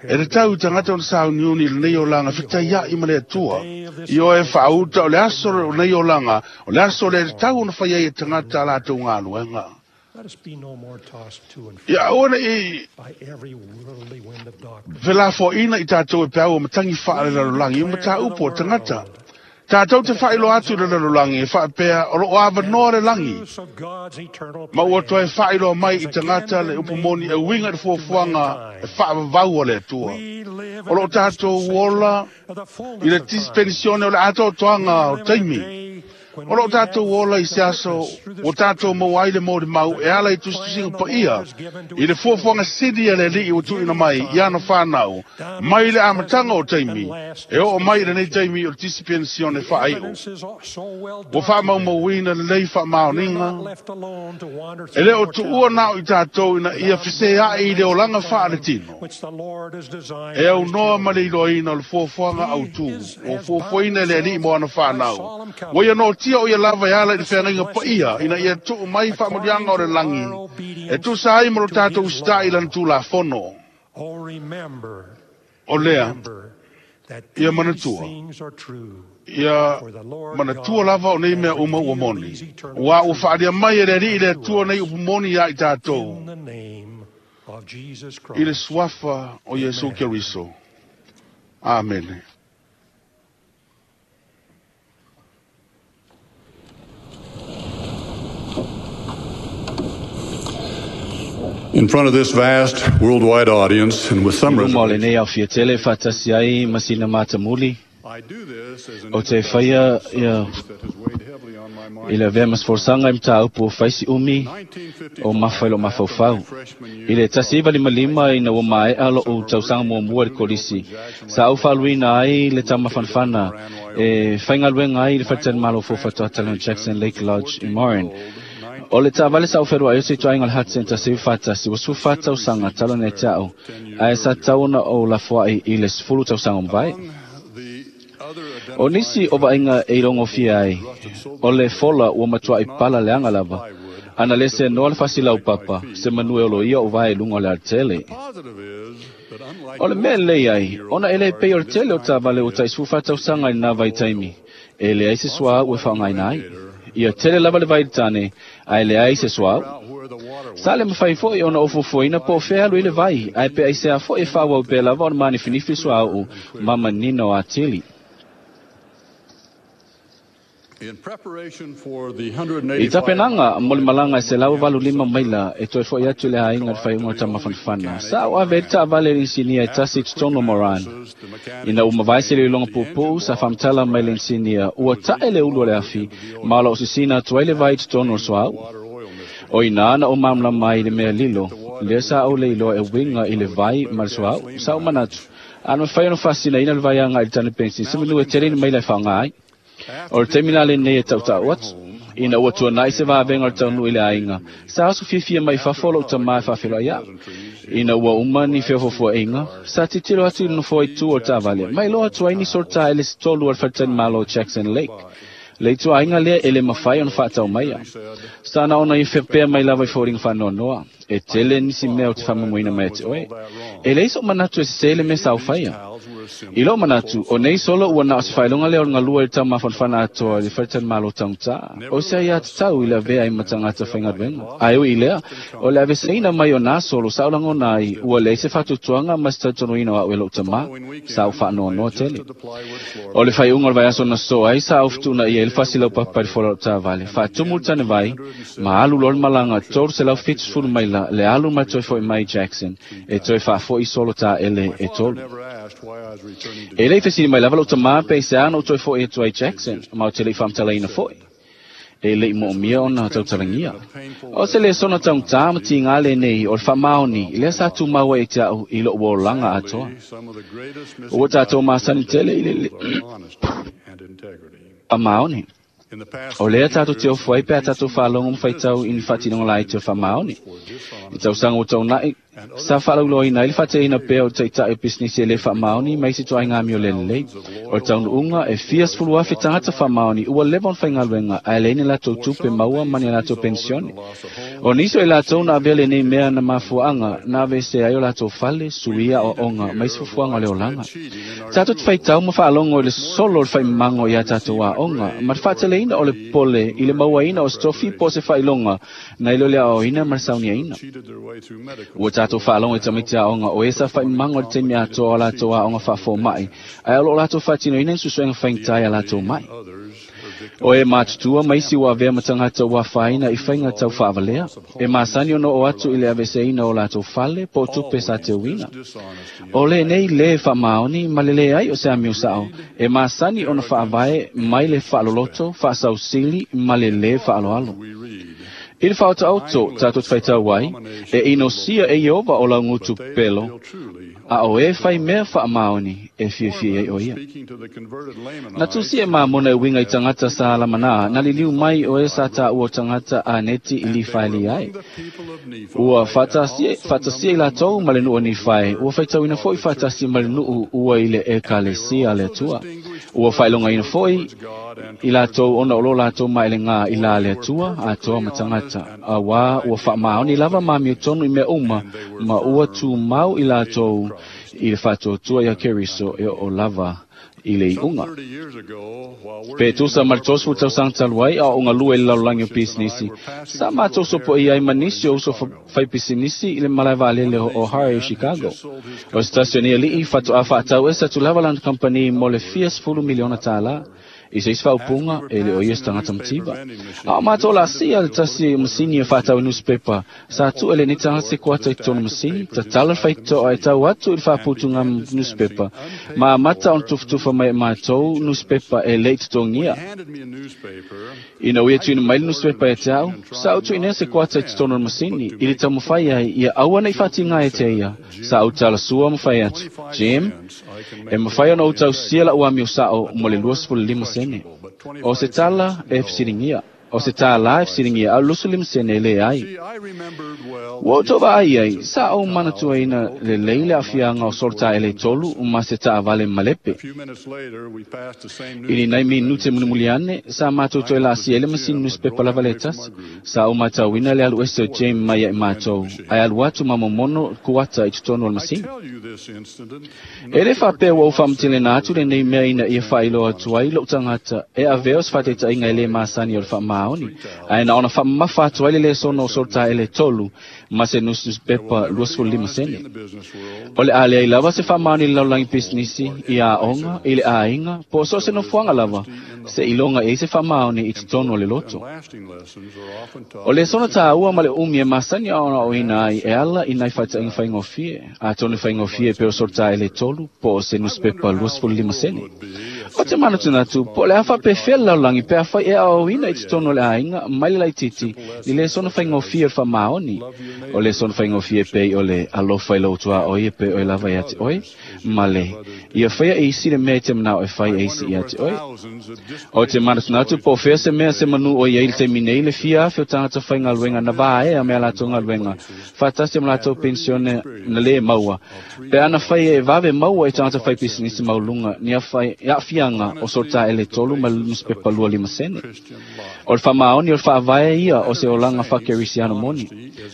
e le tau i tagata ona sauniuni i lenei olaga fetaia'i ma le Atua. Ioe fa'auta o le aso o lenei olaga o le aso le tatau ona fai ai e tagata a latou galuega. Ia aua ne'i felafoaʻina i tatou e peau o matagi fa'alelalolagi ma tāupu o tagata. Tatou te fa'ailoa atu i le lalolagi e fa'apea o lo'o avanoa le lagi ma ua toe fa'ailoa mai i tagata le upu moni e uiga i le fuafuaga e fa'avavau a le Atua. O lo'o tatou ola i le tisipenisione o le atoatoaga o taimi. O loo tatou ola i se aso ua tatou maua ai le molimau e ala i tusitusiga paia i le fuafuaga sili a le ali'i ua tu'uina mai i ana fanau mai le amataga o taimi e oo mai i lenei taimi o le tisipenisione fa'ai'u. Ua fa'amaumauina lelei fa'amaoniga e lē o tu'ua na o i tatou ina ia fesea'i i le olaga fa'aletino e aunoa ma le iloaina o le fuafuaga autū ua fuafuaina e le ali'i mo ana fanau. Ua ia noatia o ia lava e ala i le feagaiga paia ina ia tu'u mai fa'amanuiaga o le lagi e tusa ai ma lo tatou usita'i lana tulafono. O lea ia manatua ia manatua lava o nei mea uma ua moni ua ua fa'alia mai e le ali'i le Atua nei upu moni iā i tatou i le suafa o Iesu Keriso. Amene. In front of this vast worldwide audience and with some Luma o lenei reservations, aofia tele fa'atasi ai ma sina matamuli I do this as an o te faia introduction to ia a subject that has weighed heavily on my i mind. le avea ma se folasaga i mataupu o faisi umi o mafa i lo'u 1955, after mafaufau. my freshman I year le of college, 1955 ina ua I mae'a lo'u summer tausaga working at the muamua i le newly kolisi opened Jackson sa Lake au fa'aluina ai le located in tamafanafana Moran, e Wyoming. faigaluega ai i le My faletali mode of fou fa'atoatala Jackson transportation Lake was a Lodge i Moran. 14-year-old O le ta'avale sa oferua'i o se ituaiga o le Hudson 1941 ua sufā I should have tausaga received talo a nei te spare a'u 10 years ae sa earlier. tatau ona ou lafoa'i i le 10 tausaga o mavae. Among the other O nisi identifying o vaaiga features e ilogofia of ai the rusted o le silver fola ua was matua'i not pala a leaga piece of lava plywood ana lē that se would noa le fasilau penetrate my papa feet se on manu e the oloia o vae i luga o le alatele. The positive is that unlike O le mea most lelei ai 15-year-old ona e lē cars pei o in le this tele o time ta'avale ua period, taʻisufā it tausaga i used lenā no vaitaimi oil. e leai se Lots suaʻau of e fa'aaogāina ai. radiator, Ia but tele no lava le oil. vailitane ae leai se Never suaʻau. figure out where the Sa le mawhai foi ona ofofoina po o fea alu i le vai, ae pe aisea foi e faaauau pea lava ona manifinifi suauu ma manino atili. I tapenaga mo le malaga e 185 maila e toe fo'i atu i le aiga i le faaiuga o le tamafanafana, sa ou ave ai le taavale i le inisinia e tasi i totonu o Moran. Ina ua mavae se iloiloga puupuu sa faamatala mai le inisinia ua ta'e le ulu o le afi ma o loo sisina atu ai le vai i totonu o le suauu. O inā na ou malamalama ai i le mea lilo, lea sa ou le iloa e uiga i le vai ma le suauu. Sa ou manatu, a na mafai ona faasinaina le vai agai i le tane penisini se manu e tele ni maila e faaaoga ai. O le taimi la lenei e tautau atu. Ina ua tuana'i se vavega o le taunuu i le aiga, sa aso fiafia mai fafo o lou tamā e faafeloai a'u. Ina ua uma ni feofofoaʻiga, sa tilotilo atu i le nofoa i tua o le taavale, ma iloa atu ai nisi o le taele se tolu a le faletalimalo o Jackson Lake. Le ituaiga lea e le mafai ona faatau maia. Sa na ona ia faapea mai lava i foliga faanoanoa, e tele nisi mea ou te faamoemoeina mai ia te oe. E leai so'u manatu e sesē le mea sa ou faia. I lou manatu, o nei solo ua na o se faailoga lea o le galue i le taumafanafana atoa i le faletalimalo taugata. O se aiatatau i le avea ai ma tagata faigaluega. Ae ui i lea, o le aveseina mai o nā solo sa ou lagona ai ua leai se faatuatuaga ma se talitonuina o a'u e lo'u tamā. Sa ou faanoanoa tele. O le faaiuga o le vaiaso na sosoo ai sa ou fetuunaia ai le fasi laupapa i le fola o la'u taavale, faatumu le tanevai, ma alu loa le malaga 370 maila le alu ma le toe fo'i mai i Jackson e toe faafo'i solo taele e tolu. E le i fesili mai lava lou tamā pe aisea ona ou toe fo'i atu ai i Jackson, ma ou te le i faamatalaina fo'i. E le i moomia ona tautalagia. O se lesona taugata ma tigā lenei o le faamaoni lea sa tumau ai ia te a'u i lo'u olaga atoa. Ua tatou masani tele i le faamaoni. O lea tatou te ofo ai pe a tatou faalogo ma faitau i ni faatinoga laiti o le faamaoni. I tausaga ua taunai, sa faalauiloaina ai le faateaina pea o le taitai o pisinisi e lē faamaoni ma isi ituaiga amio le lelei. O le taunuuga, e fia sefulu afe tagata faamaoni ua leva ona faigaluega ae leai ni latou tupe maua ma ni a latou penisione. O nisi o i latou na avea lenei mea na mafuaaga na aveesea ai o latou fale, suia aoaoga ma isi fuafuaga o le olaga. Tatou te faitau ma faalogo i le solo o le faimamago i a tatou aoga ma le faateleina o le popole i le mauaina o se tofi po o se faailoga nai lo le aoaoina ma le sauniaina. Ua tatou faalogo i tamaiti aoga o e sa faimamago i le taimi atoa o a latou aoga faafoma'i ae o loo latou faatinoina ni suesuega faigata i a latou ma'i. O e matutua ma isi ua avea ma tagata ua afaina i faiga tau faavalea, e masani ona oo atu i le aveeseina o latou fale po o tupe sa teuina. O lenei lē faamaoni ma le leai o se amio sa'o, e masani ona faavae mai le faaloloto, faasausili ma le lē faaaloalo. I le faaotaoto tatou te faitau ai, e inosia e Ieova o laugutu pepelo, a o e fai mea faamaoni e fiafia i ai o ia. Na tusi e Mamona e uiga i tagata sa Lamanā, na liliu mai o e sa taua o tagata a Neti i Lifaeli ai. Ua faatasia, faatasia i latou ma le nuu o Nifae, ua faitauina foi faatasi ma le nuu ua i le Ekalesia a le Atua. Ua faailogaina foi i latou ona o lo latou maelegā i la le Atua, atoa ma tagata, auā ua faamaoni lava ma amiotonu i mea uma, ma ua tumau i latou i le faatuatua iā Keriso e oo lava i le iuga. Pe tusa ma le 30 tausaga talu ai a o galue i le lalolagi o pisinisi, sa matou sopoia ai ma nisi o uso faipisinisi i le malae vaalele o O'Hare i Chicago. O se tasi o nei aliʻi faatoa faatau ese atu lava lana kamupani mo le fia sefulu miliona tālā. I se isi faaupuga, e le o ia se tagata mativa. A o matou laasia le tasi o masini e faatau i nusipepa, sa tuu e lenei tagata se kuata i totonu masini, tatala le faitotoa e tau atu i le faaputuga nusipepa, ma amata ona tufatufa mai e matou nusipepa e le i totogia. Ina ua ia tuuina mai le nusipepa ia te au, sa ou tuuina se kuata i totonu o le masini, i le taumafai ai ia aua ne i faatiga ia te ia. Sa ou talasua ma fai atu, Jim, e mafai ona ou tausia la'u amio sa'o mo le 25 sene. O se tala e fesiligia. O se tālā e fesiligia, a o le 25 sene e leai. Ua ou tou vaai ai, sa ou manatuaina lelei le aafiaga o solo taele e tolu ma se taavale malepe. I ni nai minute mulimuli ane, sa matou toe laasia ai le masini nusipepa lava le tasi. Sa ou matauina le alu ese o Jim mai ia i matou, ae alu atu ma momono kuata i totonu o le masini. E le faapea ua ou faamatelaina atu lenei mea ina ia faailoa atu ai lou tagata e avea o se faataitaiga e lē masani o le faamaoni. faamaoni, ae na ona faamamafa atu ai le lesona o solataele 3 ma se nusinusipepa 25 sene. O le a leai lava se faamaoni i le lalolagi pisinisi, i aoga, i le aiga, po o so o se nofoaga lava, se iloga i ai se faamaoni i totonu o le loto. O le lesona tāua ma le umi e masani ona aoaoina ai e ala i nai faataʻiga faigofie, atonu e faigofie pei o solataele 3 po o se nusipepa 25 sene. O te manatunatu, po o le a faapefea le lalolagi pe afai e aoaoina i totonu o le aiga mai le laitiiti i lesona faigofie o le faamaoni. O lesona faigofie pei o le alofa i lou tuaoi e pei oe lava ia te oe, ma le ia faia e isi le mea i te manao e fai e isi ia te oe. O te manatunatu po o fea se mea se manu o iai le taimi nei le fia afe o tagata faigaluega na vaea me a latou galuega faatasi ma latou penisione na lē maua, pe ana fai e vave maua i tagata faipisinisi maualuga ni aafiaga o solataele 3 ma le nusipepa 25 sene. O le faamaoni o le faavae ia o se olaga faakerisiano moni.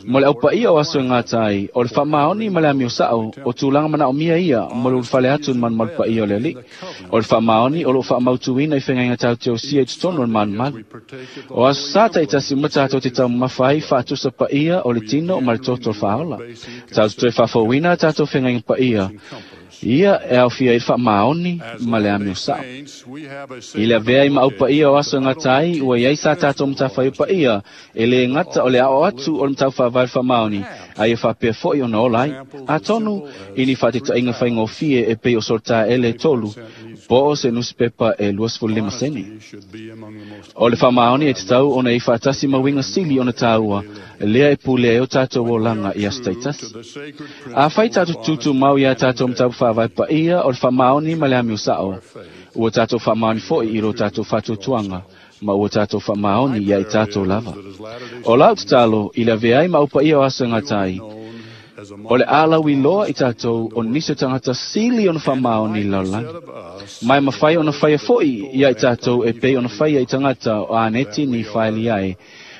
Mo le aupaia o aso e gata ai, o le faamaoni ma le amio saʻo o tulaga manaʻomia ia mo le ulufale atu i le malumalu paia o le Alii. O le faamaoni o loo faamautuina i fegaiga tauteusia i totonu o le malumalu. O aso sa taitasi uma tatou te taumamafa ai faatusa paia o le tino ma le toto o le faaola. Tatou toe faafouina a tatou fegaiga paia ia e aofia ai le faamaoni ma le amio saʻo. I le avea i maau paia o aso e gata ai, ua iai sa tatou matafaioi paia e lē gata o le aoao atu o le mataupu faavae o le faamaoni, a ia faapea foʻi ona ola ai. Atonu i ni faataitaiga faigofie e pei o solataele 3 po o se nusipepa e 25 sene. O le faamaoni e tatau ona iai faatasi ma uiga sili ona tāua, lea e pulea ai o tatou olaga i aso taitasi. Afai tatou tutumau iā tatou mataupu faavae paia o le faamaoni ma le amio saʻo, ua tatou faamaoni foʻi i lo tatou faatuatuaga ma ua tatou faamaoni ia i tatou lava. O lau tatalo i le avea ai ma au paia o aso e gata ai, o le alauiloa i tatou o nisi o tagata sili ona faamaoni i le lalolagi. Ma e mafai ona faia foʻi ia i tatou e pei ona faia i tagata o Aneti ni faeli ai,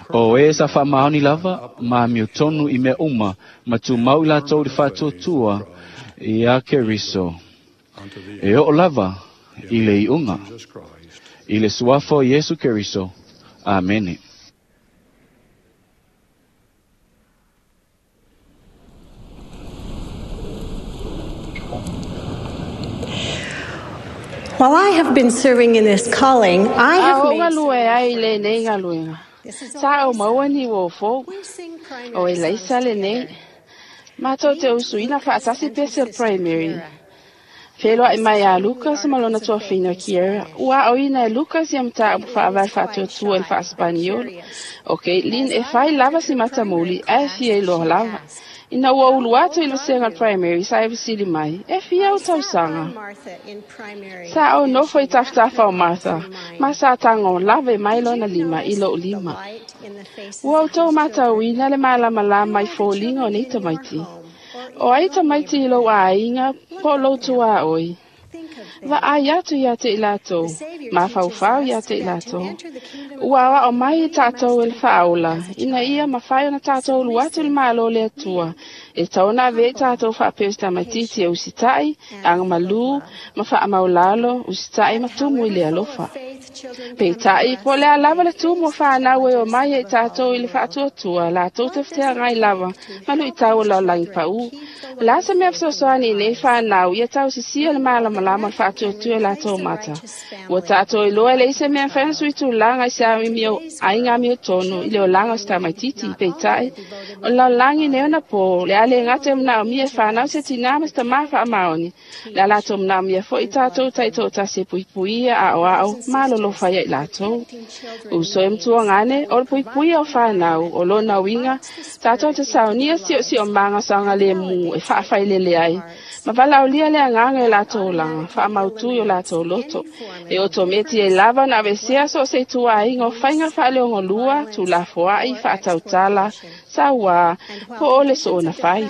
o e sa faamaoni lava ma amio tonu i mea uma ma tumau i latou i le faatuatua iā Keriso. E oo lava i le iuga. I le suafa o Iesu Keriso. Amene. While I have been serving in this calling, I A have ou made galue ai i lenei galuega, sa ou maua ni uo fou, o Elaisa lenei. Matou te usuina faatasi pese o le primary. Feloaʻi mai iā Lucas ma lona tuafina o Kiera. Ua aoina e Lucas ia mataupu faavae faatuatua i le faasepaniolo. O Caitlin e fai lava si matamuli ae fia iloa lava. Ina ua ulu atu i le vasega o le primary sa e fesili mai, E fia ou tausaga? Sa ou nofo i tafatafa o Martha, ma sa tago lave mai lona lima i loʻu lima. Ua outou matauina le malamalama i foliga o nei tamaiti. O ai tamaiti i lou aiga po o lou tuaoi. Vaai atu ia te i latou, mafaufau ia te i latou. Ua aoao mai i tatou e le faaola, ina ia mafai ona tatou ulu atu i le Malo o le Atua, e tatau ona avea i tatou faapea o se tamaitiiti e usitaʻi, agamalū, ma faamaulalo, usitaʻi ma tumu i le alofa. Peitai, po o le a lava le tumu o fanau e omai ai i tatou i le faatuatua, latou te feteagai lava ma luitau o le lalolagi paū. O le a se mea fesoasoani i nei fanau ia tausisia le malamalama o le faatuatua i latou mata? Ua tatou iloa e leai se mea e mafai ona sui tulaga i se aiga amiotonu i le olaga o se tamaitiiti. Peitai, o le lalolagi nei ona po, le a le gata e manaomia e fanau se tinā ma se tamā faamaoni, le a latou manaomia foi i tatou taitoatasi e puipuia, aoao, ma alolofa ia i latou. Uso e matuagane, o le puipuia o fanau, o lona uiga, tatou te saunia siosiomaga o saogalemu e faafailele ai, ma valaaulia le agaga i o latou olaga, faamautu i o latou loto. E otometi ai lava ona aveesea so o se ituaiga o faiga faaleogolua, tuulafoaʻi, faatautala, sauā, po o le soona fai.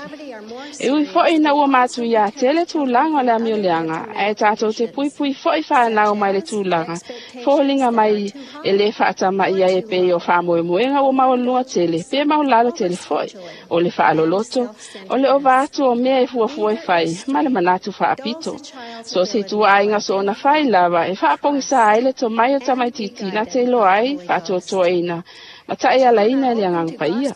E ui fo'i ina ua matuiā tele tulaga o le amioleaga, ae tatou te puipui fo'i fanau mai le tulaga foliga mai e lē faatama'i ai e pei o faamoemoega ua maualuga tele pe maulalo tele fo'i, o le faaloloto, o le ova atu o mea e fuafua e fai ma le manatu faapito. So se ituaiga soona fai lava e faapogisā ai le tomai o tamaititi na te iloa ai faatoatoaina ma taʻialaina i le agaga paia.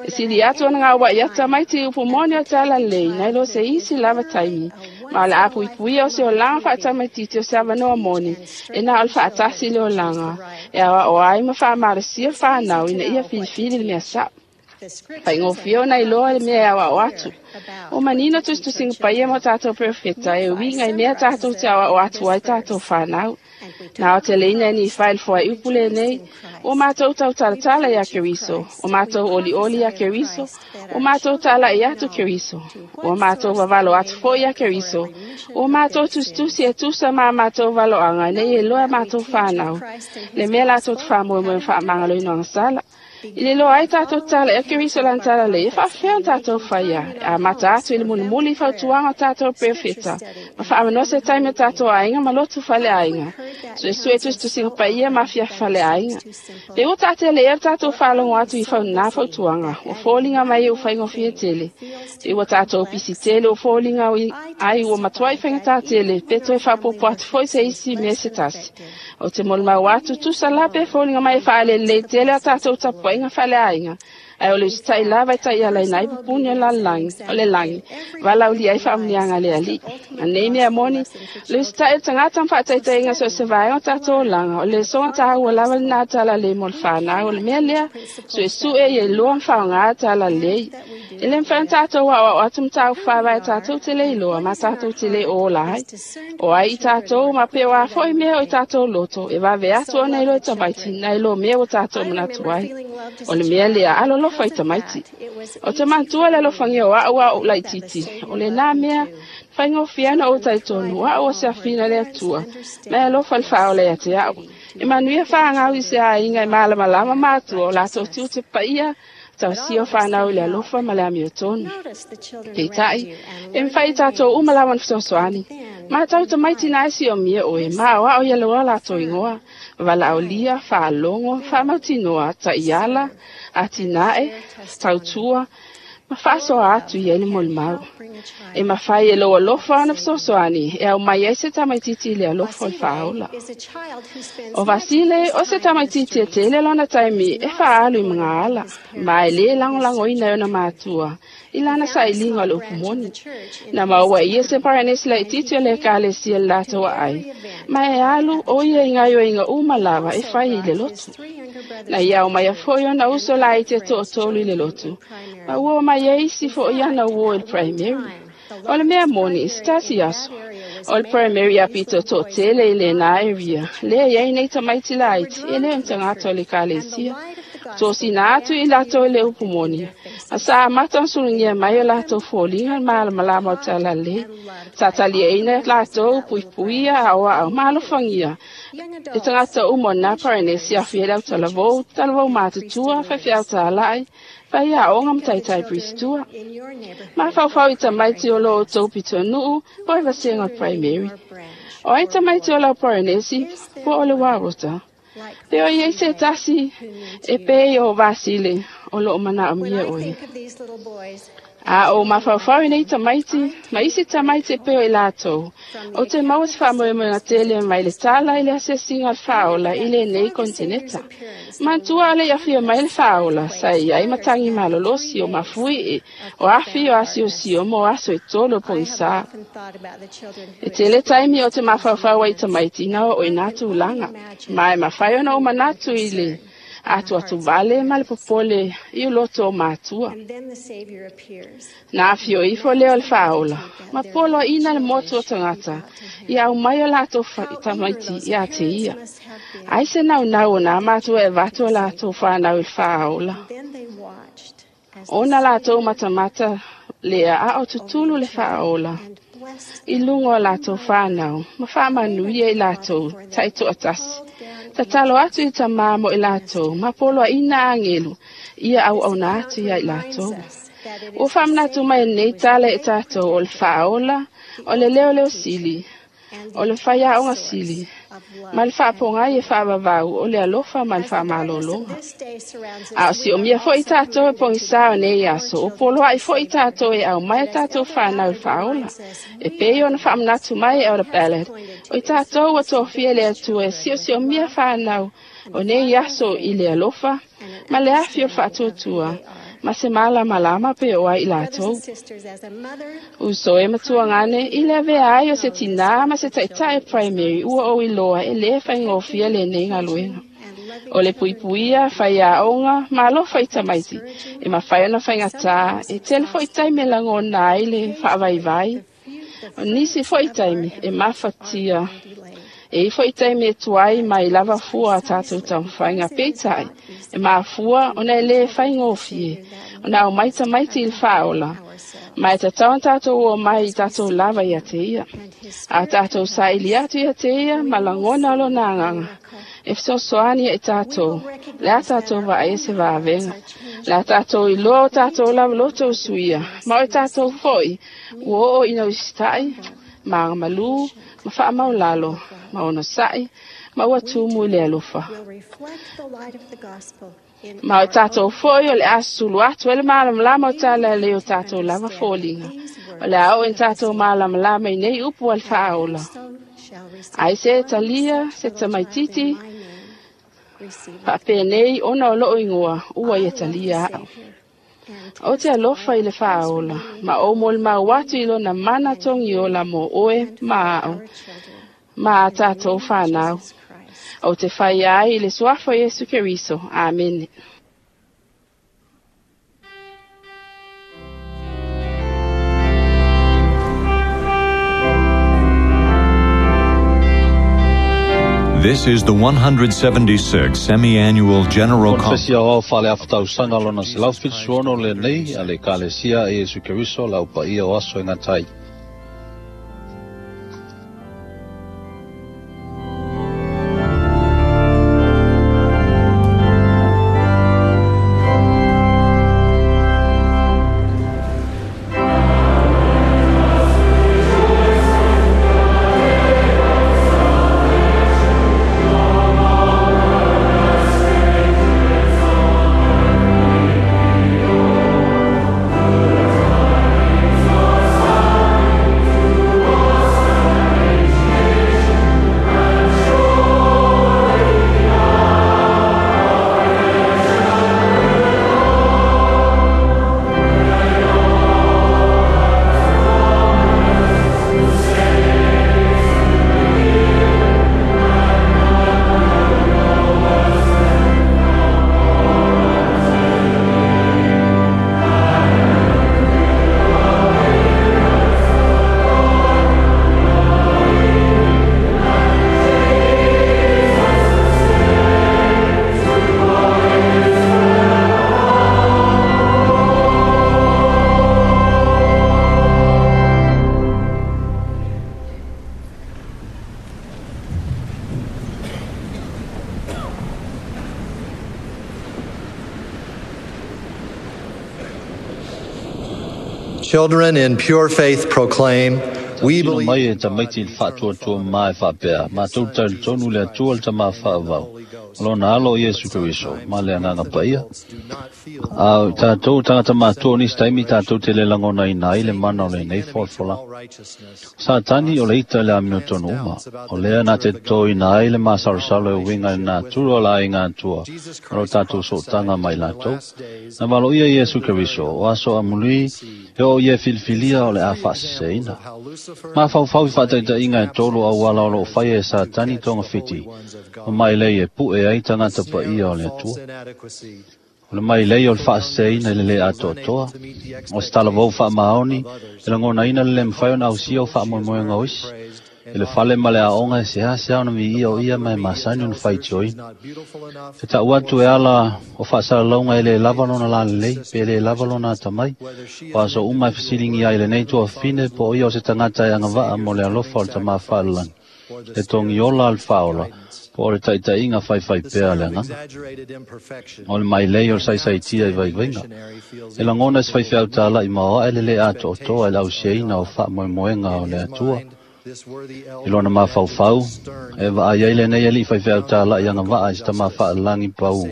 E sili atu ona gauaʻi atu tamaiti i upu moni o talalelei nai lo se isi lava taimi, ma o le a puipuia o se olaga faatamaititi o se avanoa moni e na o le faatasi i le olaga e aoao ai ma faamalosia fanau ina ia filifili le mea saʻo. Faigofie ona iloa le mea e aoao atu. Ua manino tusitusiga paia ma o tatou perofeta e uiga i mea tatou te aoao atu ai tatou fanau. Na o te leina e ni fai le foaiupu lenei, ua matou tautalatala iā Keriso, ua matou olioli iā Keriso, ua matou talaʻi atu Keriso, ua matou vavalo atu foʻi iā Keriso, ua matou tusitusi e tusa ma a matou valoaga ina ia iloa e matou fanau le mea latou te faamoemoe ma faamagaloina o agasala. I le iloa ai tatou tala e Keriso lana talalelei, e faafefea ona tatou faia, e amata atu i le mulimuli i fautuaga o tatou perofeta, ma faamanoa se taimi o tatou aiga ma lotu faleaiga, suesue tusitusiga paia ma afiafi faleaiga. Pe ua taatele ea le tatou faalogo atu i faunā fautuaga, ua foliga mai e ua faigofie tele. Pe ua tatou pisi tele ua foliga ai ua matuai faigata tele, pe toe faaopoopo atu foi se isi mea se tasi. O te molimau atu, tusa la pe foliga mai e faalelelei tele a tatou tapuaiga faaleaiga, ae o le usitaʻi lava e taialaina ai pupuni o lalolagi, o le lagi, valaaulia ai faamuniaga a le Alii. A nei mea moni, o le usitaʻi o le tagata ma faataitaiga so o se vaega o tatou olaga, o le soga taua lava lenā talalelei mo le fanau. O le mea lea, suesue ia iloa ma faaaogā talalelei. E lē mafai ona tatou aoao atu mataupu faavae tatou te le iloa ma tatou te le ola ai. O ai i tatou ma pe o a foʻi mea o i tatou loto, e vave atu ona iloa i tamaiti nai lo mea ua tatou manatu ai. O le mea lea, alolofa i tamaiti. O te manatua le alofagia o aʻu a oʻu laititi, o lenā mea, faigofie ana ou talitonu, o aʻu o se afina le Atua, ma e alofa le faaola ia te aʻu. E manuia fāgau i se aiga e malamalama matua o latou tiute paia, tausia o fanau i le alofa ma le amiotonu. Peitai, e mafai i tatou uma lava ona fesoasoani. Matau tamaiti na e siomia oe, ma aoao ia loa latou igoa, valaaulia, faalogo, faamautinoa, taiala, atinae, tautua, ma faasoa atu i ai le molimau. E mafai e lou alofa ona fesoasoani e aumai ai se tamaititi i le alofa o le faaola. O Vasile, o se tamaititi e tele lona taimi e faaalu i magaala, ma e lē lagolagoina e ona matua i lana sailiga o le upu moni. Na maua e ia se paranesi laititi o le ekalesia i le latou aai, ma e alu o ia i gaoioiga uma lava e fai i le lotu. Na ia aumaia foʻi ona uso laiti e toatolu i le lotu, ma ua omai ai isi foʻi ana uō i le primary. O le mea moni, se tasi aso, o le primary apito toatele i lenā area, lea e i ai nei tamaiti laiti e le o ni tagata o le ekalesia. Tosina atu i latou i le upu moni, ma sa amata ona sulugia mai o latou foliga le malamalama o le talalelei. Sa taliaina latou, puipuia, aoao ma alofagia e tagata uma o nā Paranesi afia i le autalavou, talavou matutua, faifeau talai, faiaoga ma taitai Bristua. Mafaufau i tamaiti o lo outou pitonuu po o le vasega o le primary. O ai tamaiti o lau Paranesi po o le Warota? Pe o i ai se tasi e pei o Vasile o loo manaomia oe. A o mafaufau i nei tamaiti ma isi tamaiti e pei o i latou, ou te maua se faamoemoega tele mai le tala i le asiasiga o le faaola i lenei kontineta. Manatua le i afio mai le faaola, sa i ai matagi malolosi o mafuie, o afi o asiosio mo aso e tolu o pogisā. E tele taimi o te mafaufau ai i tamaiti ina oo i nā tulaga, ma e mafai ona ou manatu i le atuatuvale ma le popole i uloto o matua. Na afio ifo lea o le faaola, ma poloaina le motu o tagata ia aumai o latou tamaiti ia te ia. Ai se naunau o nā matua e avatu o latou fanau i le faaola. Ona latou matamata lea a o tutulu le faaola i luga o latou fanau ma faamanuia i latou taitoatasi. Tatalo atu i tamā mo i latou ma poloaina agelu Ia auauna atu ia i latou. Ua faamanatu mai lenei tala e tatou o le faaola, o le leoleo sili, o le faiaoga sili, ma le faapogai e faavavau o le alofa ma le faamalologa. A o siomia fo'i tatou e pogisā o nei aso, o poloa'i fo'i tatou e aumai a tatou fanau i le faaola. E pei ona faamanatu mai e Elder Ballard, o i tatou ua tofia le Atua e siosiomia fanau o nei aso i le alofa ma le afi o le faatuatua, ma se malamalama pe o ai i latou. Uso e matuagane, i le avea ai o se tinā ma se ta'ita'i primary ua ou iloa e lē faigofie lenei galuega. O le puipuia, faiaoga, ma alofa i tamaiti, e mafai ona faigatā, e tele fo'i taimi e lagona ai le faavaivai. O nisi fo'i taimi e mafatia. E i fo'i taimi e tuai mai lava fua a tatou taumafaiga peitai, e mafua ona e lē faigofie, ona aumai tamaiti i le faaola. Ma e tatau ona tatou o mai i tatou lava ia te ia. A tatou saili atu ia te ia ma lagona o lona agaga. E fesoasoani ia i tatou, le a tatou vaai e se vavega. Le a tatou iloa o tatou lava loto usuia, ma o i tatou fo'i, ua oo ina usita'i, ma agamalū, ma faamaulalo, ma onosa'i, ma ua tumu i le alofa. Ma o tatou fo'i o le a sulu atu e le malamalama o tala e lei o tatou lava foliga. O le a oo ina tatou malamalama i nei upu a le faaola. Ai se talia, se tamaititi, faapenei ona o loo igoa, ua ia talia a'u. O te alofa i le faaola, ma ou molimau atu i lona mana togiola mo oe ma a'u, ma a tatou fanau. O te faia ai i le suafa o Iesu Keriso. Amene. This is the 176th Semi-Annual General Conference. Konofesi aoao faaleafa tausaga lona 176 lenei a le Ekalesia a Iesu Keriso le Au Paia o Aso e Gata ai. Children in pure faith proclaim, we Tautino believe mai e tamaiti i le faatuatua ma e faapea, matou talitonu le Atua le Tamā faavavau, o lona alo o Iesu Keriso, ma le agaga paia. A o tatou tagata matua o nisi taimi tatou te le lagonaina ai le mana o lenei folafolaga. Satani o le ita i le amiotonu uma, o lea na te totoina ai le masalosalo e uiga i le natura o le aiga Atua, o lo tatou sootaga mai latou. Na valoia Iesu Keriso, o aso amuli, e o ia filifilia o le a faaseseina. Mafaufau i faataitaiga e tolu auala o loo faia e Satani togafiti, ma mai lei e pu'e ai tagata paia o le Atua. O le mai lei o le faaseseina i le lē atoatoa, o se talavou faamaoni, e lagonaina le lē mafai ona ausia o faamoemoega o isi. I le fale ma le aoga e seasea ona viia o ia ma e masani ona faitioina. E ta'u atu e ala o faasalalauga e lē lava lona lalelei, pe lē lava lona atamai. O aso uma e fesiligia ai lenei tuafafine po o ia o se tagata e agava'a mo le alofa o le Tamā faalelagi. E togiola a le faaola, Po o le taʻitaʻiga faifaipea a le agaga. O le mailei o le saisaitia i vaivaiga. E lagona e se faifeau tālaʻi maoaʻe le lē atoatoa i le ausiaina o faamoemoega o le Atua. I lona mafaufau, e vaai ai lenei alii faifeau tālaʻi agavaa i se tamā faalelagi pau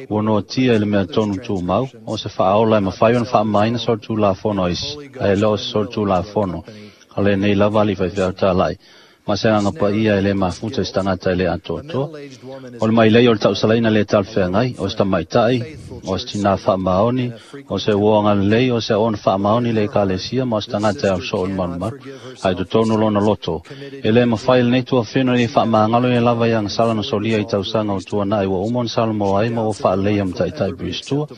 ua noatia i le mea tonu tumau, o se faaola e mafai ona faamamaina solitulafono a isi, ae le o se solitulafono a lenei lava alii faifeau tālaʻi, ma se agaga paia e lē mafuta i se tagata e lē atoatoa. O le mailei o le tausalaina lē talafeagai, o se tamaitai, o se tinā faamaoni, o se uo agalelei, o se auauna faamaoni i le ekalesia ma o se tagata e ausoo i le malumalu, a i totonu o lona loto, e lē mafai e lenei tuafeno ina ia faamagalo ia lava i agasala na solia i tausaga o tuanaʻi ua uma ona salomoa ai ma ua faaleleia ma taitai Piristua.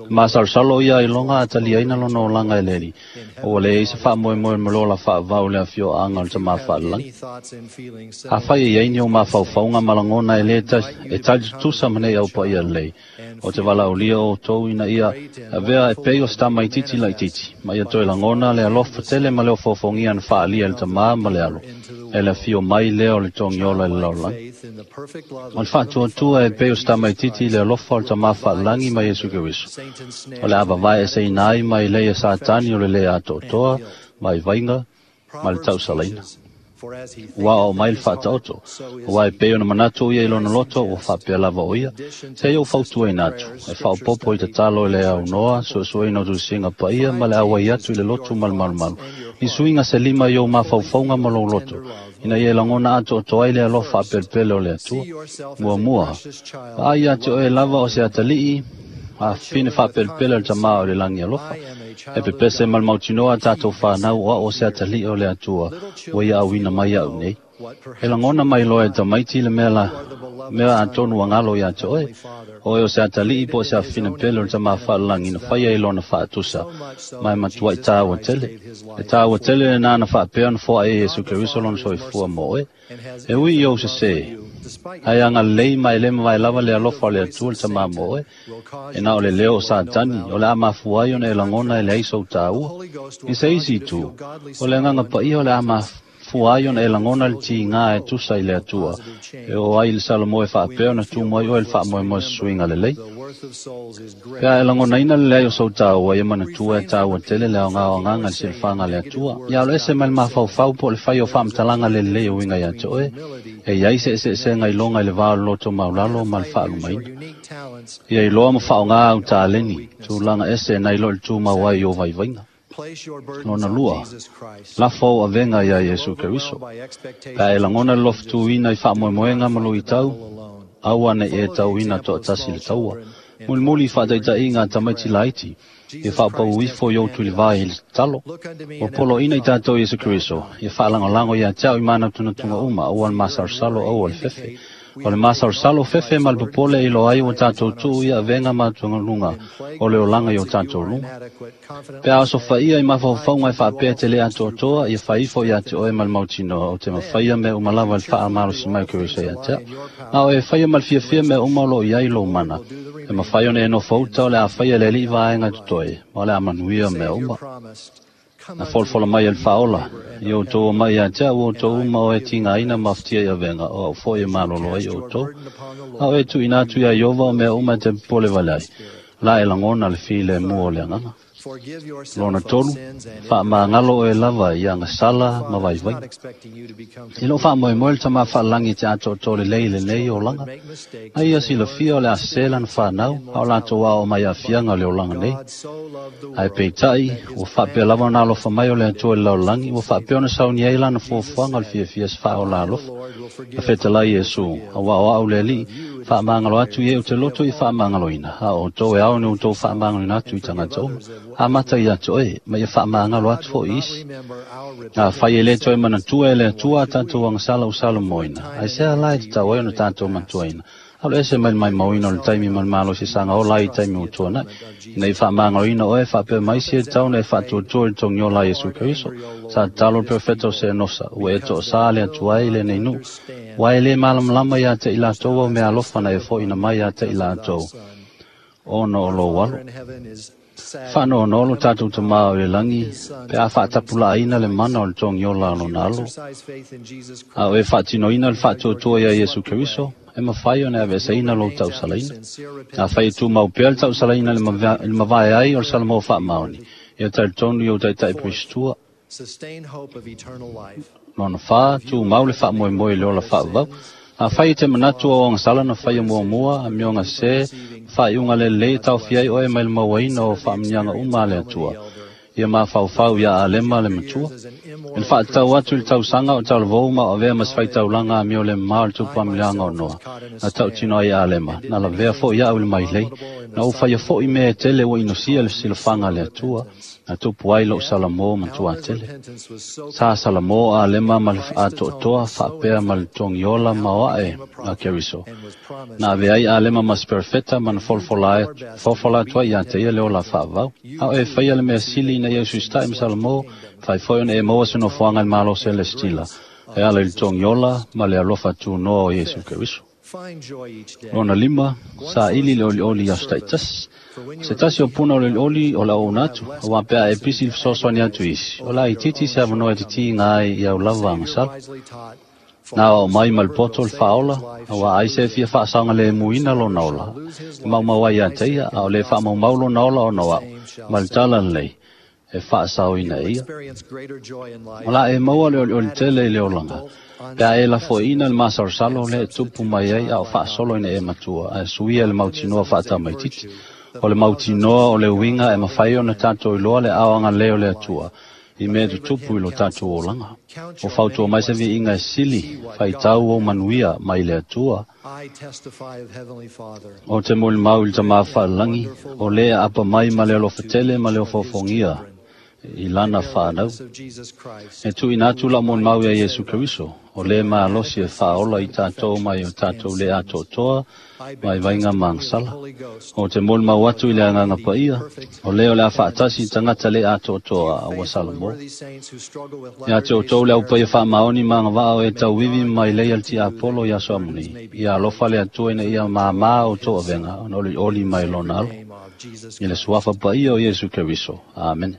E masalosalo o ia ailoga a taliaina lona olaga e le Alii. Ua leai se faamoemoe ma le ola faavavau i le afioaga o le Tamā Faalelagi. Afai e i ai ni ou mafaufauga ma lagona e lē e tali tutusa ma nei au paia lelei, ou te valaaulia outou ina ia avea e pei o se tamaitiiti laitiiti, ma ia toe lagona le alofa tele ma le ofoofogia na faaalia e le Tamā ma le Alo, e le afio mai lea o le togiola i le lalolagi. O le faatuatua e pei o se tamaitiiti i le alofa o le Tamā Faalelagi ma Iesu Keriso, o le a vavae eseina ai mai lei e Satani o le lē atoatoa, vaivaiga, ma le tausalaina. Ua aoao mai le faataoto, aua e pei ona manatu o ia i lona loto, ua faapea lava o ia, se i ou fautuaina atu, e faaopoopo i tatalo i le aunoa, suesueina o tusiga paia ma le auai atu i le lotu ma le malumalu, ni suiga se lima i ou mafaufauga ma lou loto, ina ia e lagona atoatoa ai le alofa faapelepele o le Atua. Muamua, vaai ia te oe lava o se atalii, a fafine faapelepele o le Tamā o le lagi alofa. E pepese ma le mautinoa a tatou fanau o au o se atalii o le Atua ua ia auina mai iaʻu nei. E lagona mai loa e tamaiti le mea la mea atonu ua galo iā te oe, o oe o se atalii po o se afafine pele o le Tamā faalelagi na faia i lona faatusa, ma e matuaʻi tāua tele. E tāua tele lenā na faapea ona foaʻe e Iesu Keriso lona soifua mo oe. E ui i ou sesē, ae agalelei ma e le mavae lava le alofa o le Atua le Tamā mo oe, e na o le leo o Satani, o le a mafua ai ona e lagona e leai sou tāua. I se isi itu, o le agaga paia o le a mafua ai ona e lagona le tigā e tusa i le Atua, e oo ai i le Salomo e faapea ona tumu ai oe i le faamoemoe suiga lelei. Pe a e lagonaina le leai o sou taua, ia manatua e taua tele le aoga o agaga i le silafaga a le Atua. Ia alo ese mai le mafaufau po o le fai o faamatalaga le lelei e uiga ia te oe, e i ai se eseesega iloga i le va o le loto maulalo ma le faalumaina. Ia iloa ma faaaoga au taleni, tulaga ese nai lo i le tumau ai i ou vaivaiga. Lona lua, lafo ou avega iā Iesu Keriso. Pe a e lagona le lofutuina i faamoemoega ma luitau, aua ne i e tauina toatasi le taua. Mulimuli i faataitaiga a tamaiti laiti, ia faaopau ifo i ou tuilivā i le tatalo. Ua poloaina i tatou Iesu Keriso, ia faalagolago ia te au i manatunatuga uma, aua le masalosalo, aua le fefe. O le masalosalo fefe ma le popole e iloa ai ua tatou tuu ia avega ma atugaluga o le olaga i o tatou luga. Pe a osofaia i mafaufauga e faapea te le atoatoa, ia fai ifo ia te oe ma le mautinoa, ou te mafaia mea uma lava i le faamalosi mai o Keriso ia te au. A o e faia ma le fiafia mea uma o lo o i ai lou mana, e mafai ona e nofo uta o le a faia e le Alii vaega totoe, ma o le a manuia mea uma. Na folafola mai e le Faaola, i outou omai ia te au outou uma o e tigaina ma afatia i avega, o au foi e malolo ai outou. A o e tuuina atu iā Ieova o mea uma e te popole vale ai, la e lagona le filemu o le agaga. Lona tolu, faamagalo oe lava i agasala ma vaivaiga. I lou faamoemoe le Tamā Faalelagi e te atoatoa lelei i lenei olaga, a ia silafia o le a sese lana fanau, a o latou aoao mai aafiaga o le olaga nei. Ae peitai, ua faapea lava ona alofa mai o le Atua i le lalolagi, ua faapea ona sauni ai lana fuafuaga o le fiafia se faaola alofa. Na fetalai Iesu, Aua o au le Alii, faamagalo atu i e ou te loto i faamagaloina, a o outou e ao ni outou faamagaloina atu i tagata uma, amata ia te oe, ma ia faamagalo atu foi i isi. Afai e le toe manatua e le Atua a tatou agasala ua salomoina, aisea la e tatau ai ona tatou manatuaina? Alu ese mai le maimauina o le taimi ma le malosi saga ola ai i taimi ua tuanai, ina ia faamagaloina oe faapea mai isi e tatau ona e faatuatua i le togiola a Iesu Keriso. Sa tatalo le perofeta o Senosa, ua e toasā le Atua i lenei nuu, aua e le malamalama ia te i latou au mea alofa na e foʻina mai ia te i latou ona o lou alo. Faanoanoa lo tatou Tamā o i le lagi pe a faatapulaaina le mana o le togiola o lona alo, a o e faatinoina le faatuatua iā Iesu Keriso, E mafai ona e aveeseina lou tausalaina. Afai e tumau pea le tausalaina i le mavae ai o le Salamo faamaoni, ia talitonu i ou taitai perisitua. Lona 4, tumau le faamoemoe i le ola faavavau. Afai e te manatu o agasala na faia muamua, amioga sese, faaiuga lelei e taofia ai oe mai le mauaina o faamanuiaga uma a le Atua. Ia mafaufau ia Alema le matua. I le faatatau atu i le tausaga o talavou ma o avea ma se faitaulaga amio le mamao i le tupu amiliaga o Noa, na tautino ai Alema, na lavea foi au i le mailei, na ou faia foi mea e tele ua inosia le silafaga a le Atua, na tupu ai lou Salamo matua tele. Sa Salamo Alema ma le atoatoa faapea ma le togiola ma oae a Keriso. Na ave ai Alema ma se perofeta ma na folafola atu ai ia te ia le ola faavavau. A o e faia le mea sili ina ia ususitai ma Salamo, fai foi ona e maua se nofoaga i le Malo Selestila, e ala i le togiola ma le alofa tunoa o Iesu Keriso. Lona 5, saili le olioli i aso taitasi. Se tasi o puna o le olioli o le auauna atu, auā pe a e pisi i le fesoasoani atu i isi, o la itiiti se avanoa e titiiga ai i au lava agasala. Na aoao mai ma le poto le faaola, auā ai se e fia faasaogalemuina lona ola, e maumau ai ia te ia, a o le faamaumau lona ola ona o au, ma le tala lelei, e faasaoina e ia. O la e maua le olioli tele i le olaga, pe a e lafoiina le masalosalo lea e tupu mai ai a o faasolo ina e matua, ae suia le mautinoa faatamaititi. O le mautinoa o le uiga e mafai ona tatou iloa le ao agalelei o le Atua, i mea e tutupu i lo tatou olaga. O fautua mai se viiga e sili, faitau ou manuia mai le Atua. O te molimau i le Tama faalelagi, o le aapa mai ma le alofa tele ma le ofaofogia i lana whanau. E tuuina atu lau molimau ia Iesu Keriso, o le malosi e faaola i tatou mai o tatou le atoatoa mai vaiga ma agasala. O te molimau atu i le Agaga Paia, o le o le a faatasi i tagata le atoatoa a ua Salamo. Ia te outou le aupaia faamaoni ma agavaa o e tauivi mai lei a le tiapolo i aso amuni. Ia alofa le Atua ina ia māmā outou avega, ona olioli mai lona alo. I le suafa paia o Iesu Keriso. Amene.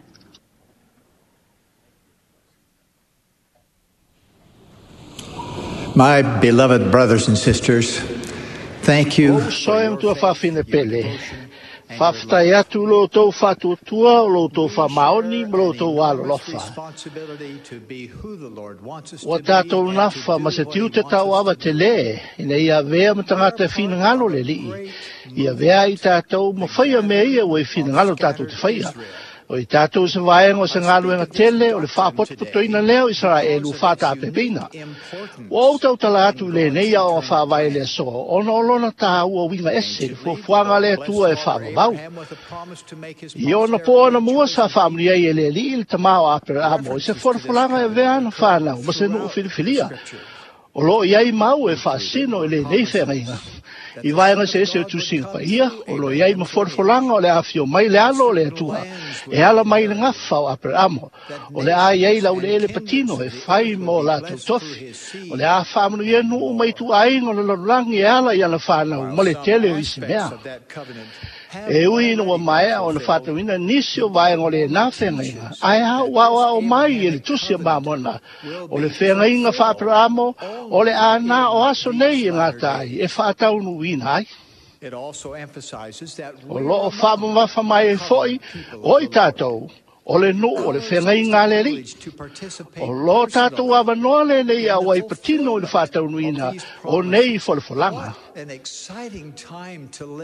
My beloved brothers and sisters, thank you. O uso e matua faafine pele, faafetai atu lo outou faatuatua, o lo outou faamaoni ma lo outou alolofa. Ua tatou nafa ma se tiute tauava tele, ina ia avea ma tagata e finagalo le Alii, ia avea ai tatou ma faia mea ia ua i finagalo tatou te faia. O i tatou se vaega o se galuega tele o le faapotopotoina lea o Isaraelu faataapepeina. Ua ou tautala atu i lenei aoga faavae le aso, ona o lona tāua uiga ese i le fuafuaga a le Atua e faavavau. I ona po ona mua sa faamanuia ai e le Alii le tama o Aperaamo i se folafolaga e avea ana whanau ma se nuu filifilia. O lo o i ai mau e faasino i lenei feagaiga. I vaega eseese o tusiga paia, o lo o i ai ma folafolaga o le afio mai le alo o le Atua, e ala mai le gafa o Aperaamo, o le a i ai laueleele patino e fai mo latou tofi, o le a faamanuia nuu mai ituaiga o le lalolagi e ala i ana whanau ma le tele o isi mea. E ui ina ua maea ona faatauina nisi o vaega o lenā feagaiga, ae a ua aoao mai e le tusi a Mamona, o le feagaiga faa-Aperaamo o le a nā o aso nei e gata ai e faataunuuina ai. O lo o faamamafa mai ai foi o i tatou, o le nuu o le feagaiga a le Alii. O lo tatou avanoa lenei auai patino i le faataunuuina o nei folafolaga.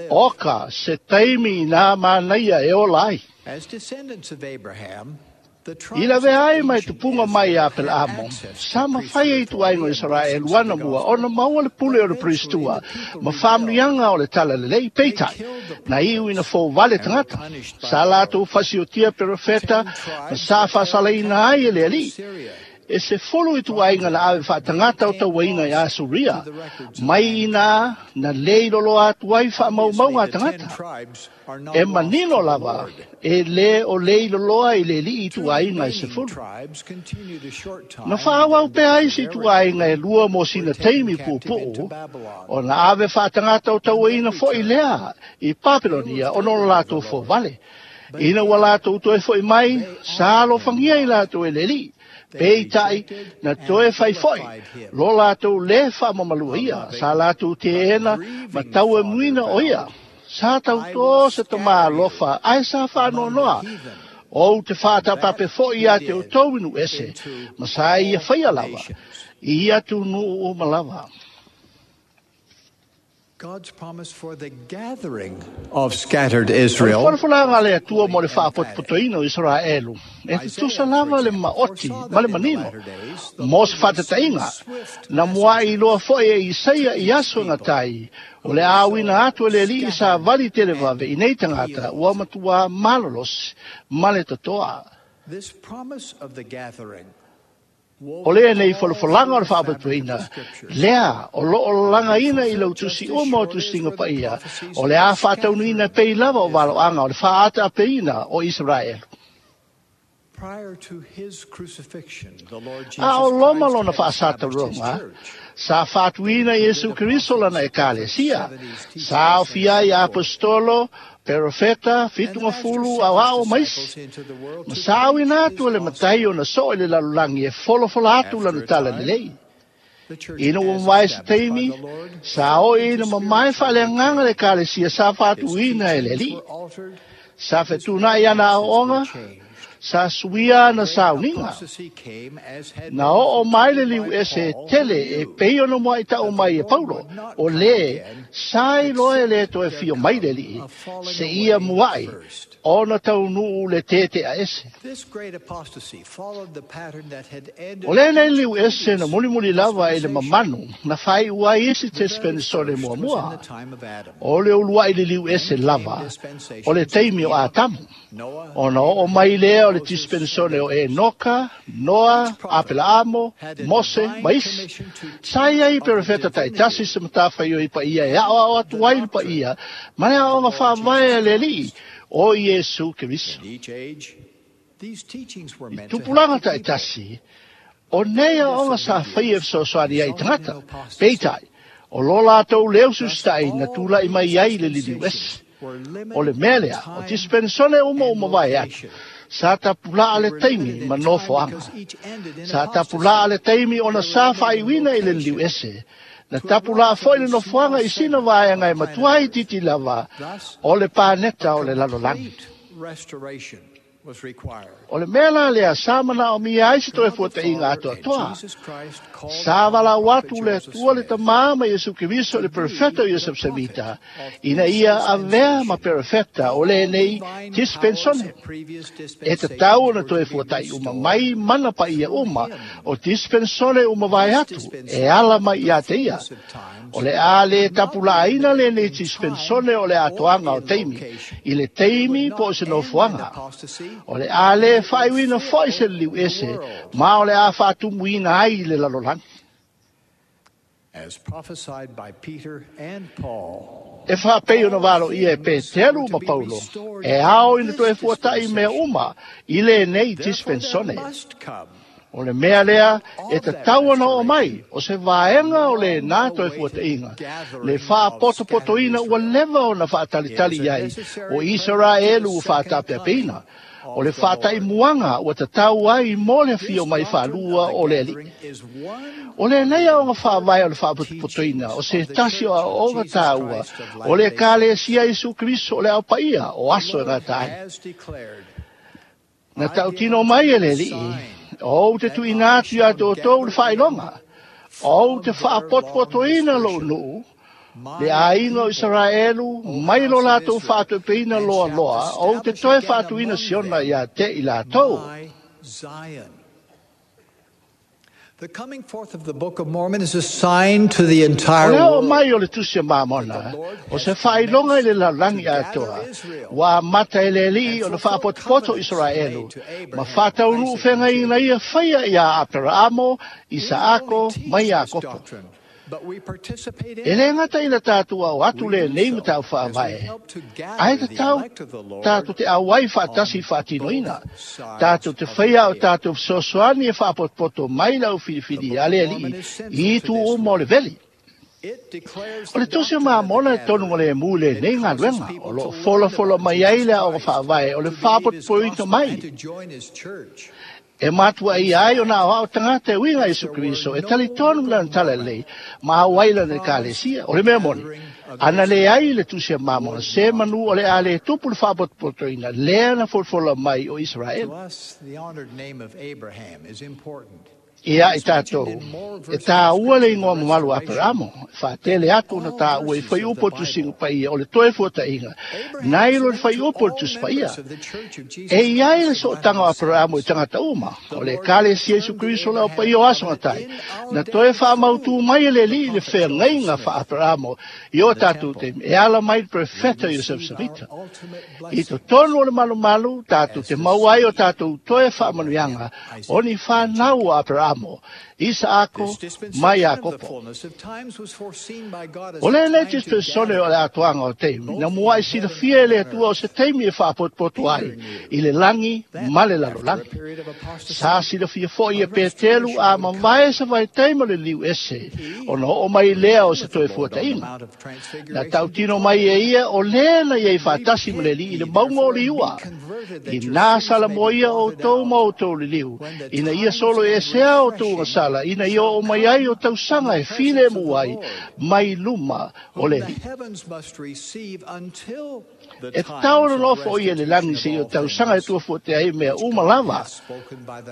Oka se taimi i nā manaia e ola ai. I lavea ai mai tupuga mai ia Aperaamo, sa mafai ai ituaiga o Isaraelu ana mua ona maua le pule o le peristua ma faamanuiaga o le talalelei. Peitai, na iu ina fouvale tagata, sa latou fasiotia perofeta ma sa faasalaina ai e le Alii. E se 10 ituaiga na ave faatagata o tauaina i Asuria, mai ina na le iloloa atu ai faamaumauga a tagata. E manino lava, e le o le iloloa i le Alii ituaiga e 10. Na faauau pea ai se ituaiga e 2 mo sina taimi puupuu, ona ave faatagata o tauaina foi lea i Papelonia ona o latou fouvale. Ina ua latou toe fo'i mai, sa alofagia i latou e le Alii, peitai na toe fai fo'i lo latou lē faamamalu'a ia, sa latou teena ma tauemuina o ia. Sa tautō se tamā alofa ae sa faanoanoa. Ou te faatapape fo'i iā te outou i nuu ese, ma sa ia faia lava i atunuu uma lava. God's promise for the gathering of scattered O le Israel folafolaga a le Atua mo le faapotopotoina o Isaraelu, e tutusa lava le maoti ma le manino. Mo se faataitaiga, na mua'i iloa fo'i e Isaia i aso e gata ai, o le a auina atu e le Alii savali televave i nei tagata ua matuā malolosi ma le totoa. This promise of the gathering O lenei folafolaga o le faapotopotoina, lea o lo o lagaina i lau tusi uma o Tusiga Paia, o le a faataunuuina pei lava o valoaga o le faaataapeina o Isaraelu. A o Roma lona faasataroga, sa faatuina Iesu Keriso lana Ekalesia, sa aofia ai Aposetolo, Perofeta, 70, aoao ma isi. Ma sa auina atu e le Matai ona soo i le lalolagi e folafola atu lana talalelei. Ina ua mavae se taimi, sa oo ina mamae faaleagaga le Ekalesia sa faatuina e le Alii. Sa fetuunai ana aoaoga, sa suia ana sauniga. Na oo mai le liu ese tele e pei ona muaʻi mai e Paulo, o lē sa iloa e le toe fio mai le Alii, seia muaʻi ona taunuu le tete'a ese. O lenei liu ese na mulimuli lava i le mamanu na faai'u ai isi tespenesone muamua. O le ulua'i liliu ese lava o le taimi o Atamu. Ona oo mai lea o le dispensone o Enoka, Noa, Apelaamo, Mose ma isi. Sa i ai perofeta ta'itasi se matafaioi paia e aoao atu ai le paia ma le aoga faavae a le Alii o Iesu Keriso. I tupulaga ta'itasi, o nei aoga sa faia e fesoasoani ai i tagata, peitai, o lo latou lē usiusita'i na tula'i mai ai le liliu ese. O le mea lea, o dispensone uma ua mavae atu, sa tapulaa le taimi ma nofoaga. Sa tapulaa le taimi ona sa faaiuina i le liliu ese. Na tapulaa fo'i le nofoaga i sina vaega e matua itiiti lava o le paneta o le lalolagi. O le mea la lea sa manaomia ai se toe fuataʻiga atoatoa. Sa valaau atu le Atua le Tamā ma Iesu Keriso i le perofeta o Iosef Semita, ina ia avea ma perofeta o lenei dispensone. E tatau ona toe fuataʻi uma mai mana paia uma o dispensone ua mavae atu e ala mai iā te ia. O le a lē tapulaaina lenei dispensone o le atoaga o taimi i le taimi po o se nofoaga. O le a lē faaiuina fo'i se liliu ese ma o le a faatumuina ai le lalolagi. As prophesied by Peter and Paul. E faapei ona valoia e Peteru ma Paulo, e ao ina toe fuataʻi mea uma i lenei dispensone. O le mea lea e tatau ona oo mai, o se vaega o lenā toe fuataʻiga, le faapotopotoina ua leva ona faatalitali i ai o Isaraelu ua faataapeapeina, o le faataimuaga ua tatau ai mo le afio mai faalua o le Alii. O lenei aoga faavae o le faapotopotoina o se tasi o aoaoga taua o le Ekalesia Iesu Keriso o le Ao Paia o aso e gata ai. Na tautino mai e le Alii, Ou te tuuina atu iā te outou le faailoga, ou te faapotopotoina lou nuu, le aiga o Isaraelu, mai lo latou faatoepeina loaloa, ou te toe faatuina Siona iā te i latou. The coming forth of the Book of Mormon is a sign to the entire O le oo world. mai o le Tusi a Mamona, o se faailoga i le lalolagi atoa, ua amata e le Alii ona faapotopoto o Isaraelu, ma faataunuu feagaiga ia faia iā Aperaamo, Isaako, ma Iakopo. E lē gata ina tatou ao atu lenei mataupu faavae, ae tatau tatou te auai faatasi i faatinoina. Tatou te faia o tatou fesoasoani e faapotopoto mai le aufilifili a le Alii i itu uma o le veli. O le Tusi o Mamona e tonu o le mu le nei ngā luenga, o lo fola fola mai ai le o whaavae, o le whaapotopoito mai. E matua i ai o nā wao tangata e winga Isu Kriso, e tali tonu lana tala lei, ma au ai lana kalesia, o le mea moni. Ana le ai le Tusi a Mamona, se manu o le a le tupu le whaapotopotoina, lea na folafola mai o Israel. To us, the honored name of Abraham is important. Ia i tātou, e tā ua le ingoa mamalu a Aperamo, whaatele atu na tā ua i whai upo tu singa paia, o le toe fuata inga, nai lo le whai upo tu paia. E iai le so tanga o Aperamo i tangata uma, o le kale si Yesu Kristo le o paia o aso ngatai, na toe wha mautu mai le li le whea ngainga wha Aperamo, i o tātou te e ala mai le profeta Joseph Smith. I to tonu o le malu malu, tātou te mauai o tātou toe wha manuianga, o ni whanau o Aperamo, Isaako, mai Iakopo. O le le dispensone o le atoanga o teimi, na mua i sila fia le atua o se teimi e whaapotopoto ai, i le langi ma le lalolagi. Sa sila fia foi e Petelu a mavae sa vai teima le liu ese, o na o mai lea o se toe fuatainga. Na tautino mai e ia o lea na ia i whaatasi ma le li i le maunga o liua. I nā sala moia o tō ma o tō le liu, ina ia solo e sea o tō sala, ina ia o mai ai o tausanga e file muai, mai luma o le li. E tau na lofo o ia le langi se i o tausanga e tua fua te ai mea uma lava.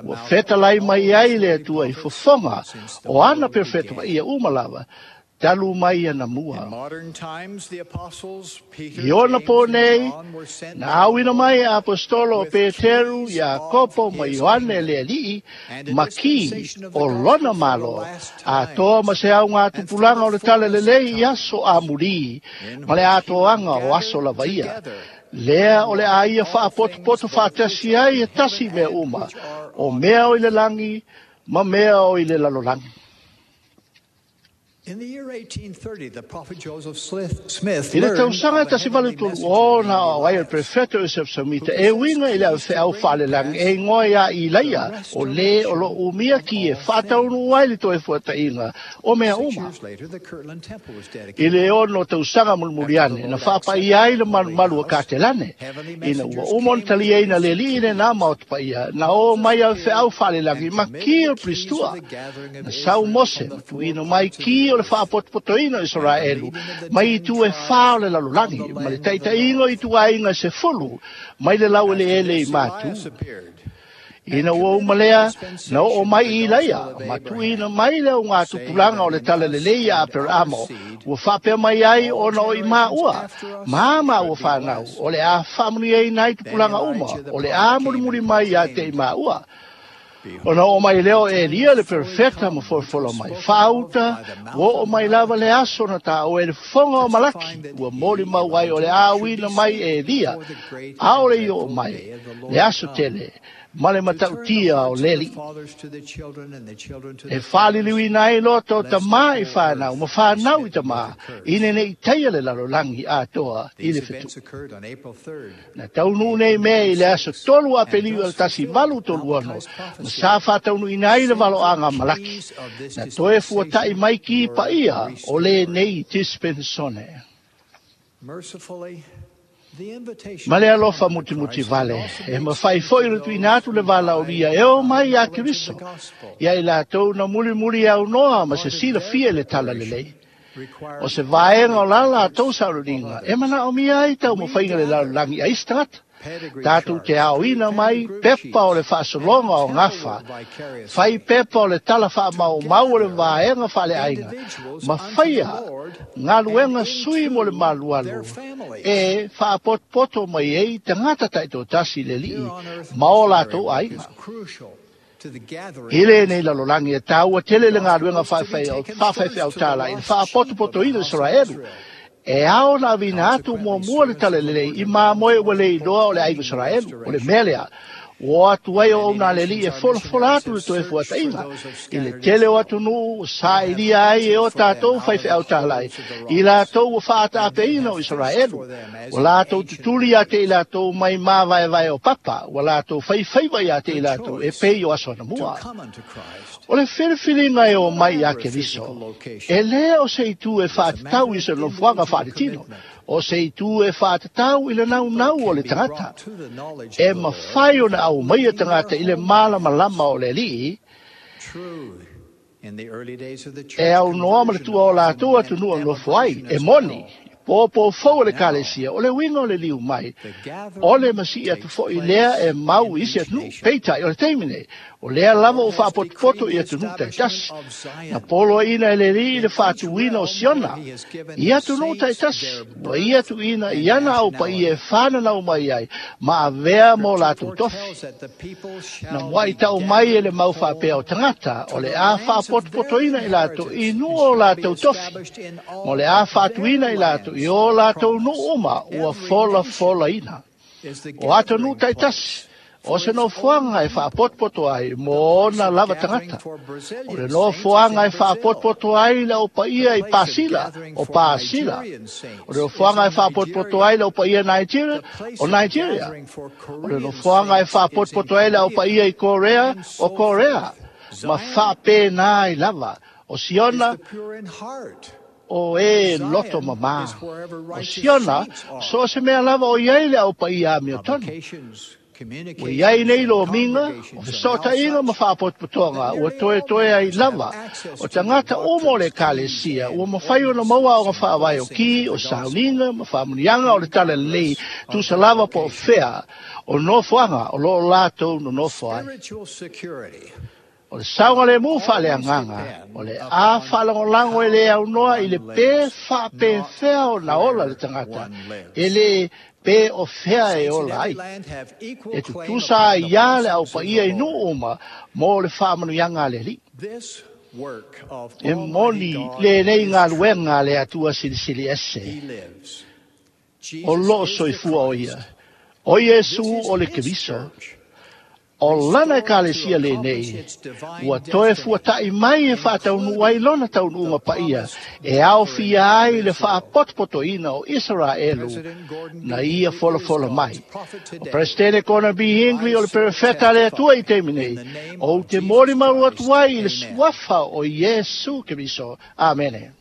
Ua whetalai mai ai le atua i fofonga, o ana perfeto ia uma lava, talu mai ana mua. In modern times, the apostles Peter, I ona James, pō and nei, John were sent na auina mai a apostolo o Peteru, Iakopo ma Ioane le alii, and a ma ki dispensation of the o gospel lona for the malo, last a times. toa ma se au ngā And for tupulanga the o le tala fullness of lelei i times, aso a muri, in ma le which he will atoanga o gather aso lava ia. together Lea o le a ia all things whaapotopoto both which whaatasi are ai in e tasi heaven mea and uma, which are o on mea o i earth. le langi, ma mea o i le lalolagi. In the year 1830, the prophet Joseph Smith I le learned tausaga of a tasi valu heavenly tolu messenger o named na o ai o Elias, prefeto Joseph Smith, who e possessed winga i le keys to au bring to whalelang, pass e ingoa ia i the laia, o le o lo restoration umia of ki e all whataunu things. ai le toe fuatainga o mea 6 uma. years later, the Kirtland Temple was I dedicated. le ono tausaga After the mulimuliane, na Lord whapai accepted ai the le holy malu malu o house, Katelane. heavenly Ina ua messengers umo came na with talia ina le priests li ine nā keys. maotapaia, na o mai au wheau whalelangi, and ma committed ki the o keys of Pristua. the gathering of Na sau Israel Mose, from the ma four tuino mai parts of ki the o le earth whaapotopotoina o and the Israelu, leading of the mai i 10 tu e tribes whao le on the lalolagi, ma le land of the taita ingo i north. tu ainga se fulu, mai le lau ele After ele i this, mātu. Elias appeared Ina and ua committed the umalea, na o dispensation mai of the i gospel laia, of ma tuina Abraham, mai leo ngā saying tupulanga o that le in tala us lelei a and our Aperamo, seed, ua whapea mai ai all o na o i mā generations ua, after us mā mā ua should be whānau, blessed. o le a whamuni ei nai Then tupulanga uma, Elijah the o le prophet a came murimuri and mai a te i proclaimed, mā ua. O na o mai leo e lia le Behold, the time is fully perfecta ma come, which folafola was mai. spoken of Whauta, by the mouth ua o of mai lava le Malachi, aso na tā o e le whonga o Malaki, testifying that ua mori he, mau ai o le Elijah, should āwina be mai sent e lia, before the great aore and i o dreadful mai, day of the le Lord aso come, tele, ma le to turn the matautia o hearts of the leli. fathers to the children and the children to E the fathers, whaliliwi nai loto lest the tamā i whole whānau, earth ma be whānau i smitten with tamā, a curse. ine nei teia le lalolangi atoa i These le whetu. events occurred on April 3rd, Na taunu nei mea i le aso tolu a 1836, and peliu al thus tasi fulfilled valu tolu ono, Malachi's ma prophecy, sa whataunu ina ai le saying valo that anga the Malaki. keys of this Na toe fuatai dispensation mai ki were paia o le restored. nei dispensone. Mercifully, the invitation Ma le to alofa come unto muti muti Christ can vale, also e be ma extended whai foi to le those tuina atu le who vala o died lia e o without mai the a knowledge of the Keriso. gospel. Ia i lātou na muri muri au noa ma se Part of sila their fia le tala preparation lelei. O requires se vaenga o la only lātou efforts of saururinga, e others. mana o mia ai tau We mawhainga le gather lalulangi a istangata. pedigree Tātou te charts, aoina family mai, group pepa o le sheets, and whaasologa o temple ngawha, work whai vicariously pepa o le tala wha to mau mau o le gather vaenga whale ainga. individuals Ma unto the whaia, Lord ngā and luenga sui mo le into their malualu, families. e whaapotpoto mai ei tangata taito tasi le Here lii, on earth, ma o missionary lātou work is ainga. crucial to the gathering I of le nei Israel. lalolangi e tāua tele The le ngā gospel luenga was to be taken whawhaiwhai first au to the tāla i le lost sheep of the whaapotopoto i le house of Israelu. Israel. E ao na vina atu mua Consequently, mua le servants tala of the lelei Lord i have mā gone moe ua forth le iloa o le aiga proclaiming Israelu, o le restoration. mea lea. Ua o atu ai auauna a le Alii e folafola atu le toe fuataʻiga i le tele o atunuu ua sailia ai e o tatou faifeau talai i latou ua faataapeina o Isaraelu. Ua latou tutuli iā te i latou mai mavaevae o papa, ua latou faifaiva iā te i latou e pei o aso anamua. O le filifiliga e o mai iā Keriso, e lē o se itu e faatatau i se nofoaga faaletino, o se itu e faatatau i le naunau o le tagata. E mafai ona aumaia tagata i le malamalama o le Alii, e aunoa ma le tuua o latou atunuu e nofo ai, e moni, pōpō fou o le Ekalesia, o le uiga o le liu mai, o le masii atu foʻi lea e mau i isi atunuu. Peitai, o le taimi nei, o lea lava ua faapotopoto i atunuu taitasi. Na poloaiina e le Alii le faatuina o Siona i atunuu taitasi, ua ia tuuina i ana au paia e fananau mai ai ma avea mo latou tofi. Na muaʻi tau mai e le mau faapea o tagata, o le a faapotopotoina i latou i nuu o latou tofi, ma o le a faatuina i latou i o latou nuu uma ua folafolaina. O atunuu taitasi, o se nofoaga e faapotopoto ai mo ona lava tagata. O le nofoaga e faapotopoto ai le au paia i Pasila, o Pasila. O le nofoaga e faapotopoto ai le au paia Nigeria, o Nigeria. O le nofoaga e faapotopoto ai le au paia i Korea, o Korea. Ma faapena ai lava. O Siona, o e loto mamā. O Siona, so o se mea lava o iai le au paia amiotonu. Ua iai nei lomiga, o fesootaiga ma faapotopotoga ua toetoe ai lava o tagata uma o le Ekalesia ua mafai ona maua aoga faavae o ki, o sauniga ma faamanuiaga o le talalelei tusa lava po o fea o nofoaga o loo latou nonofo ai. O le saogalemu faaleagaga, o le a faalagolago e lē aunoa i le pē faapefea ona ola le tagata, e lē pē o fea e ola ai. E tutusa ai iā le au paia i nuu uma mo le faamanuiaga a le Alii. E moni lenei galuega a le Atua Silisili Ese, o loo soifua o ia, o Iesu o le Keriso. O lana Ekalesia lenei, ua toe fuataʻi mai e faataunuu ai lona taunuuga paia e aofia ai le faapotopotoina o Isaraelu na ia folafola mai. O Peresetene Gordon B. Hinckley o le perofeta a le Atua i taimi nei, ou te molimau atu ai i le suafa o Iesu Keriso. Amene.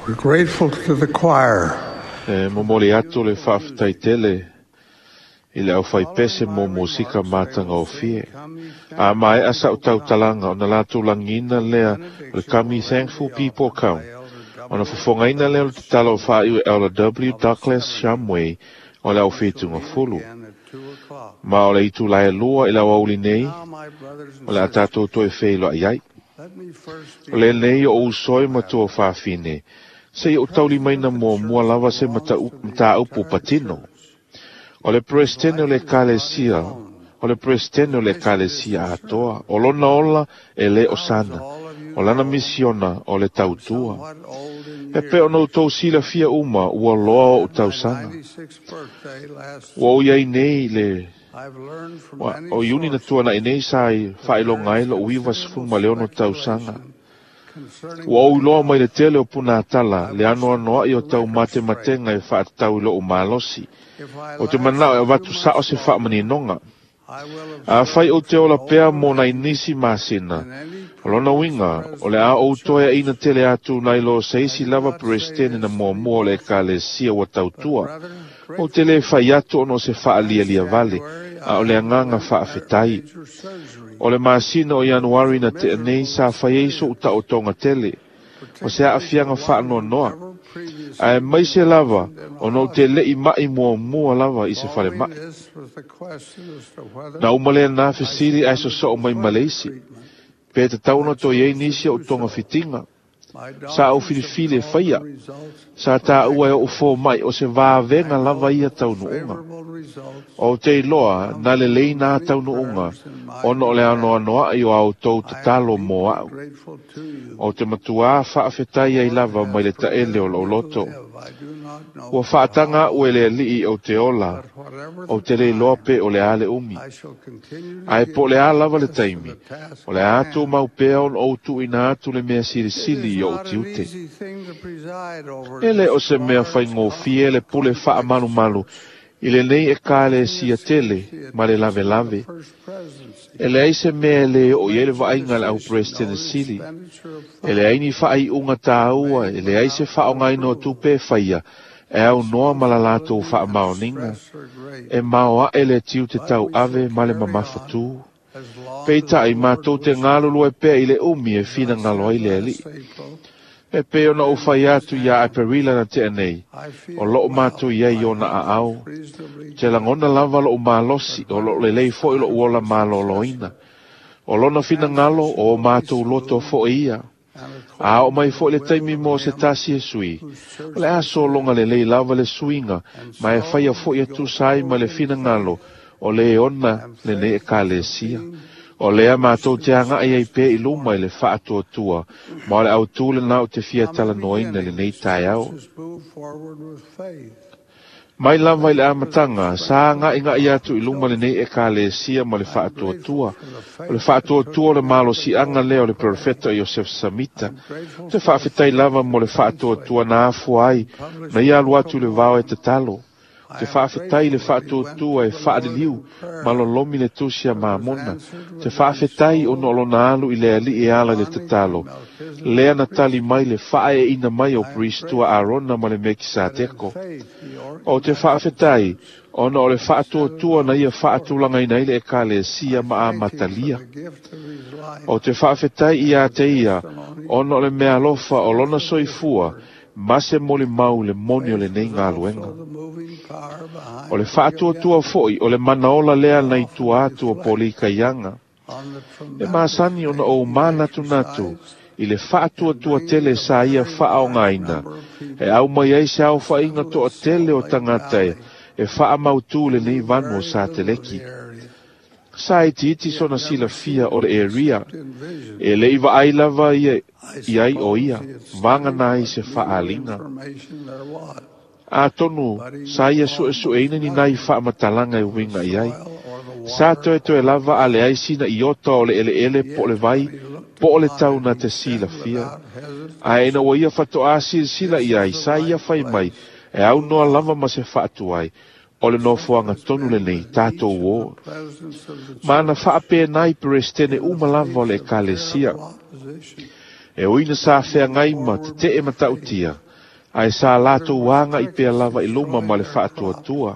We're grateful to the choir. E momoli atu le faafetaitele i le aufaipese mo musika matagofie. A maea sa'u tautalaga ona latou lagiina lea o le Come Ye Thankful People Come. Ona fofogaina lea o le tatalo o faaiu e Elder W. Douglas Shumway o le aufetugafulu. Ma o le itulā e 2 i le aoauli nei, o le a tatou toe feiloai ai. O lenei o uso e ma tuafafine, seia ou taulimaina muamua lava se mataupu patino. O le Peresetene o le Ekalesia, o le Peresetene o le Ekalesia atoa, o lona ola e lē o sana, o lana misiona o le tautua. E pei ona outou silafia uma ua loa oʻu tausaga. Ua ou iai nei le o Iuni na tuanaʻi nei sa faailoga ai loʻu 96 tausaga. Ua ou iloa mai le tele o punatala le anoanoaʻi o taumatematega e faatatau i loʻu malosi. O te manao e avatu sao se faamaninoga. Afai ou te ola pea mo nai nisi masina, o lona uiga o le a ou toe aʻina tele atu nai lo se isi lava Peresetene na muamua o le Ekalesia ua tautua. Ou te lē fai atu ona o se faalialia vale, a o le agaga faafetai. O le masina o Ianuari na tea nei sa fai ai soʻu taotoga tele, o se aafiaga faanoanoa. Ae maise lava ona ou te leʻi maʻi muamua lava i se falemaʻi. Na uma lenā fesili ae sosoo mai ma le isi, pe tatau ona toe iai nisi oʻu togafitiga. Sa ou filifili e faia. Sa taua e oʻu fomaʻi o se vavega lava ia taunuuga. Ou te iloa na lelei nā taunuuga ona o le anoanoaʻi o a outou tatalo mo aʻu. Ou te matuā faafetai ai lava mai le taʻele o loʻu loto. Ua faataga aʻu e le aliʻi ou te ola, ou te le iloa pe o le a le umi. Ae po o le a lava le taimi, o le a tumau pea ona ou tuuina atu le mea silisili i oʻu tiute. E lē o se mea faigofie le pule faamalumalu i lenei Ekalesia tele ma le lavelave. E leai se mea e lē oo i ai le vaaiga a le au Peresetene sili. E leai ni faaiuga tāua, e leai se faaaogaina o tupe e faia, e aunoa ma la latou faamaoniga. E maoaʻe le tiute tauave ma le mamafatū. Peitai, matou te galulue pea i le umi e finagalo ai le Alii. E pei ona ou fai atu iā Aperila na tea nei, o loo matou i ai i ona aao. Te lagona lava loʻu malosi, o loo lelei foʻi loʻu ola malōlōina. O lona finagalo, o o matou loto foʻi ia. A oo mai foʻi le taimi mo se tasi e sui, o le a sologa lelei lava le suiga, ma e faia foʻi e tusa ai ma le finagalo o lē ona lenei Ekalesia. O lea matou te agaʻi ai pea i luma i le faatuatua, ma o le autū lenā ou te fia talanoaina i lenei taeao. Mai lava i le amataga, sa agaʻigaʻi atu i luma lenei Ekalesia ma le faatuatua. O le faatuatua o le malosiaga lea o le Perofeta Iosef Samita. Ou te faafetai lava mo le faatuatua na afua ai na ia alu atu i le vao e tatalo. Ou te faafetai i le faatuatua e faaliliu ma lolomi le tusi a Mamona. Ou te faafetai ona o lona alu i le Alii e ala i le tatalo, lea na tali mai le faaeeina mai o Perisito a Arona ma le Mekisateko. Ou te faafetai ona o le faatuatua na ia faatulagaina ai le Ekalesia ma amatalia. Ou te faafetai iā te ia ona o le meaalofa o lona soifua ma se molimau i le moni o lenei galuega. O le faatuatua foʻi o le manaola lea nai tua atu o Polikaiaga. E masani ona ou manatunatu i le faatuatua tele sa ia faaogaina e aumai ai se aofaiga toatele o tagata e faamautū lenei vanu o Sateleki. Sa itiiti sona silafia o le area. E leʻi vaai lava ia i ai o ia, vagana ai se faaliga. Atonu, sa ia suesueina ni nai faamatalaga e uiga i ai. Sa toetoe lava a leai sina iota o le eleele po o le vai, po o le tau na te silafia. Ae ina ua ia faatoā silasila i ai, sa ia fai mai, e aunoa lava ma se faatuai, o le nofoaga tonu lenei, tatou ō. Ma na faapena ai Peresetene uma lava o le Ekalesia. E ui na sa feagai ma tetee matautia, Ae sa latou agaʻi pea lava i luma ma le faatuatua.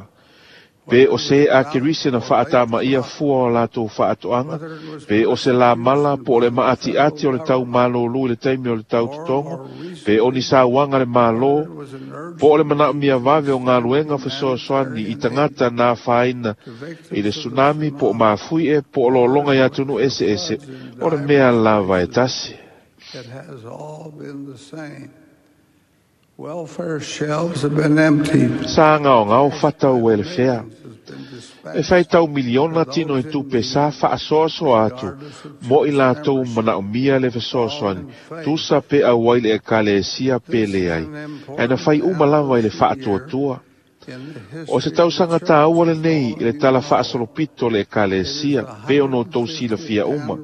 Pe o se a Kerise na faatamaia fua o latou faatoaga, pe o se lamala po o le maatiati o le taumalōlū i le taimi o le tautotogo, pe o ni sauaga le Mālō, po o le manaomia vave o galuega fesoasoani i tagata na afaina i le tsunami po o mafuie po o lologa i atunuu eseese, o le mea lava e tasi. It has all been the same. Welfare shelves have been emptied. Sa gaogao fatau e le fea. E faitau miliona tino i tupe sa faasoasoa atu mo i latou manaomia le fesoasoani tusa pe auai le ekalesia pe leai, ae na fai uma lava i le faatuatua. O se tausaga tāua lenei i le tala faasolopito o le ekalesia pe ona outou silafia uma.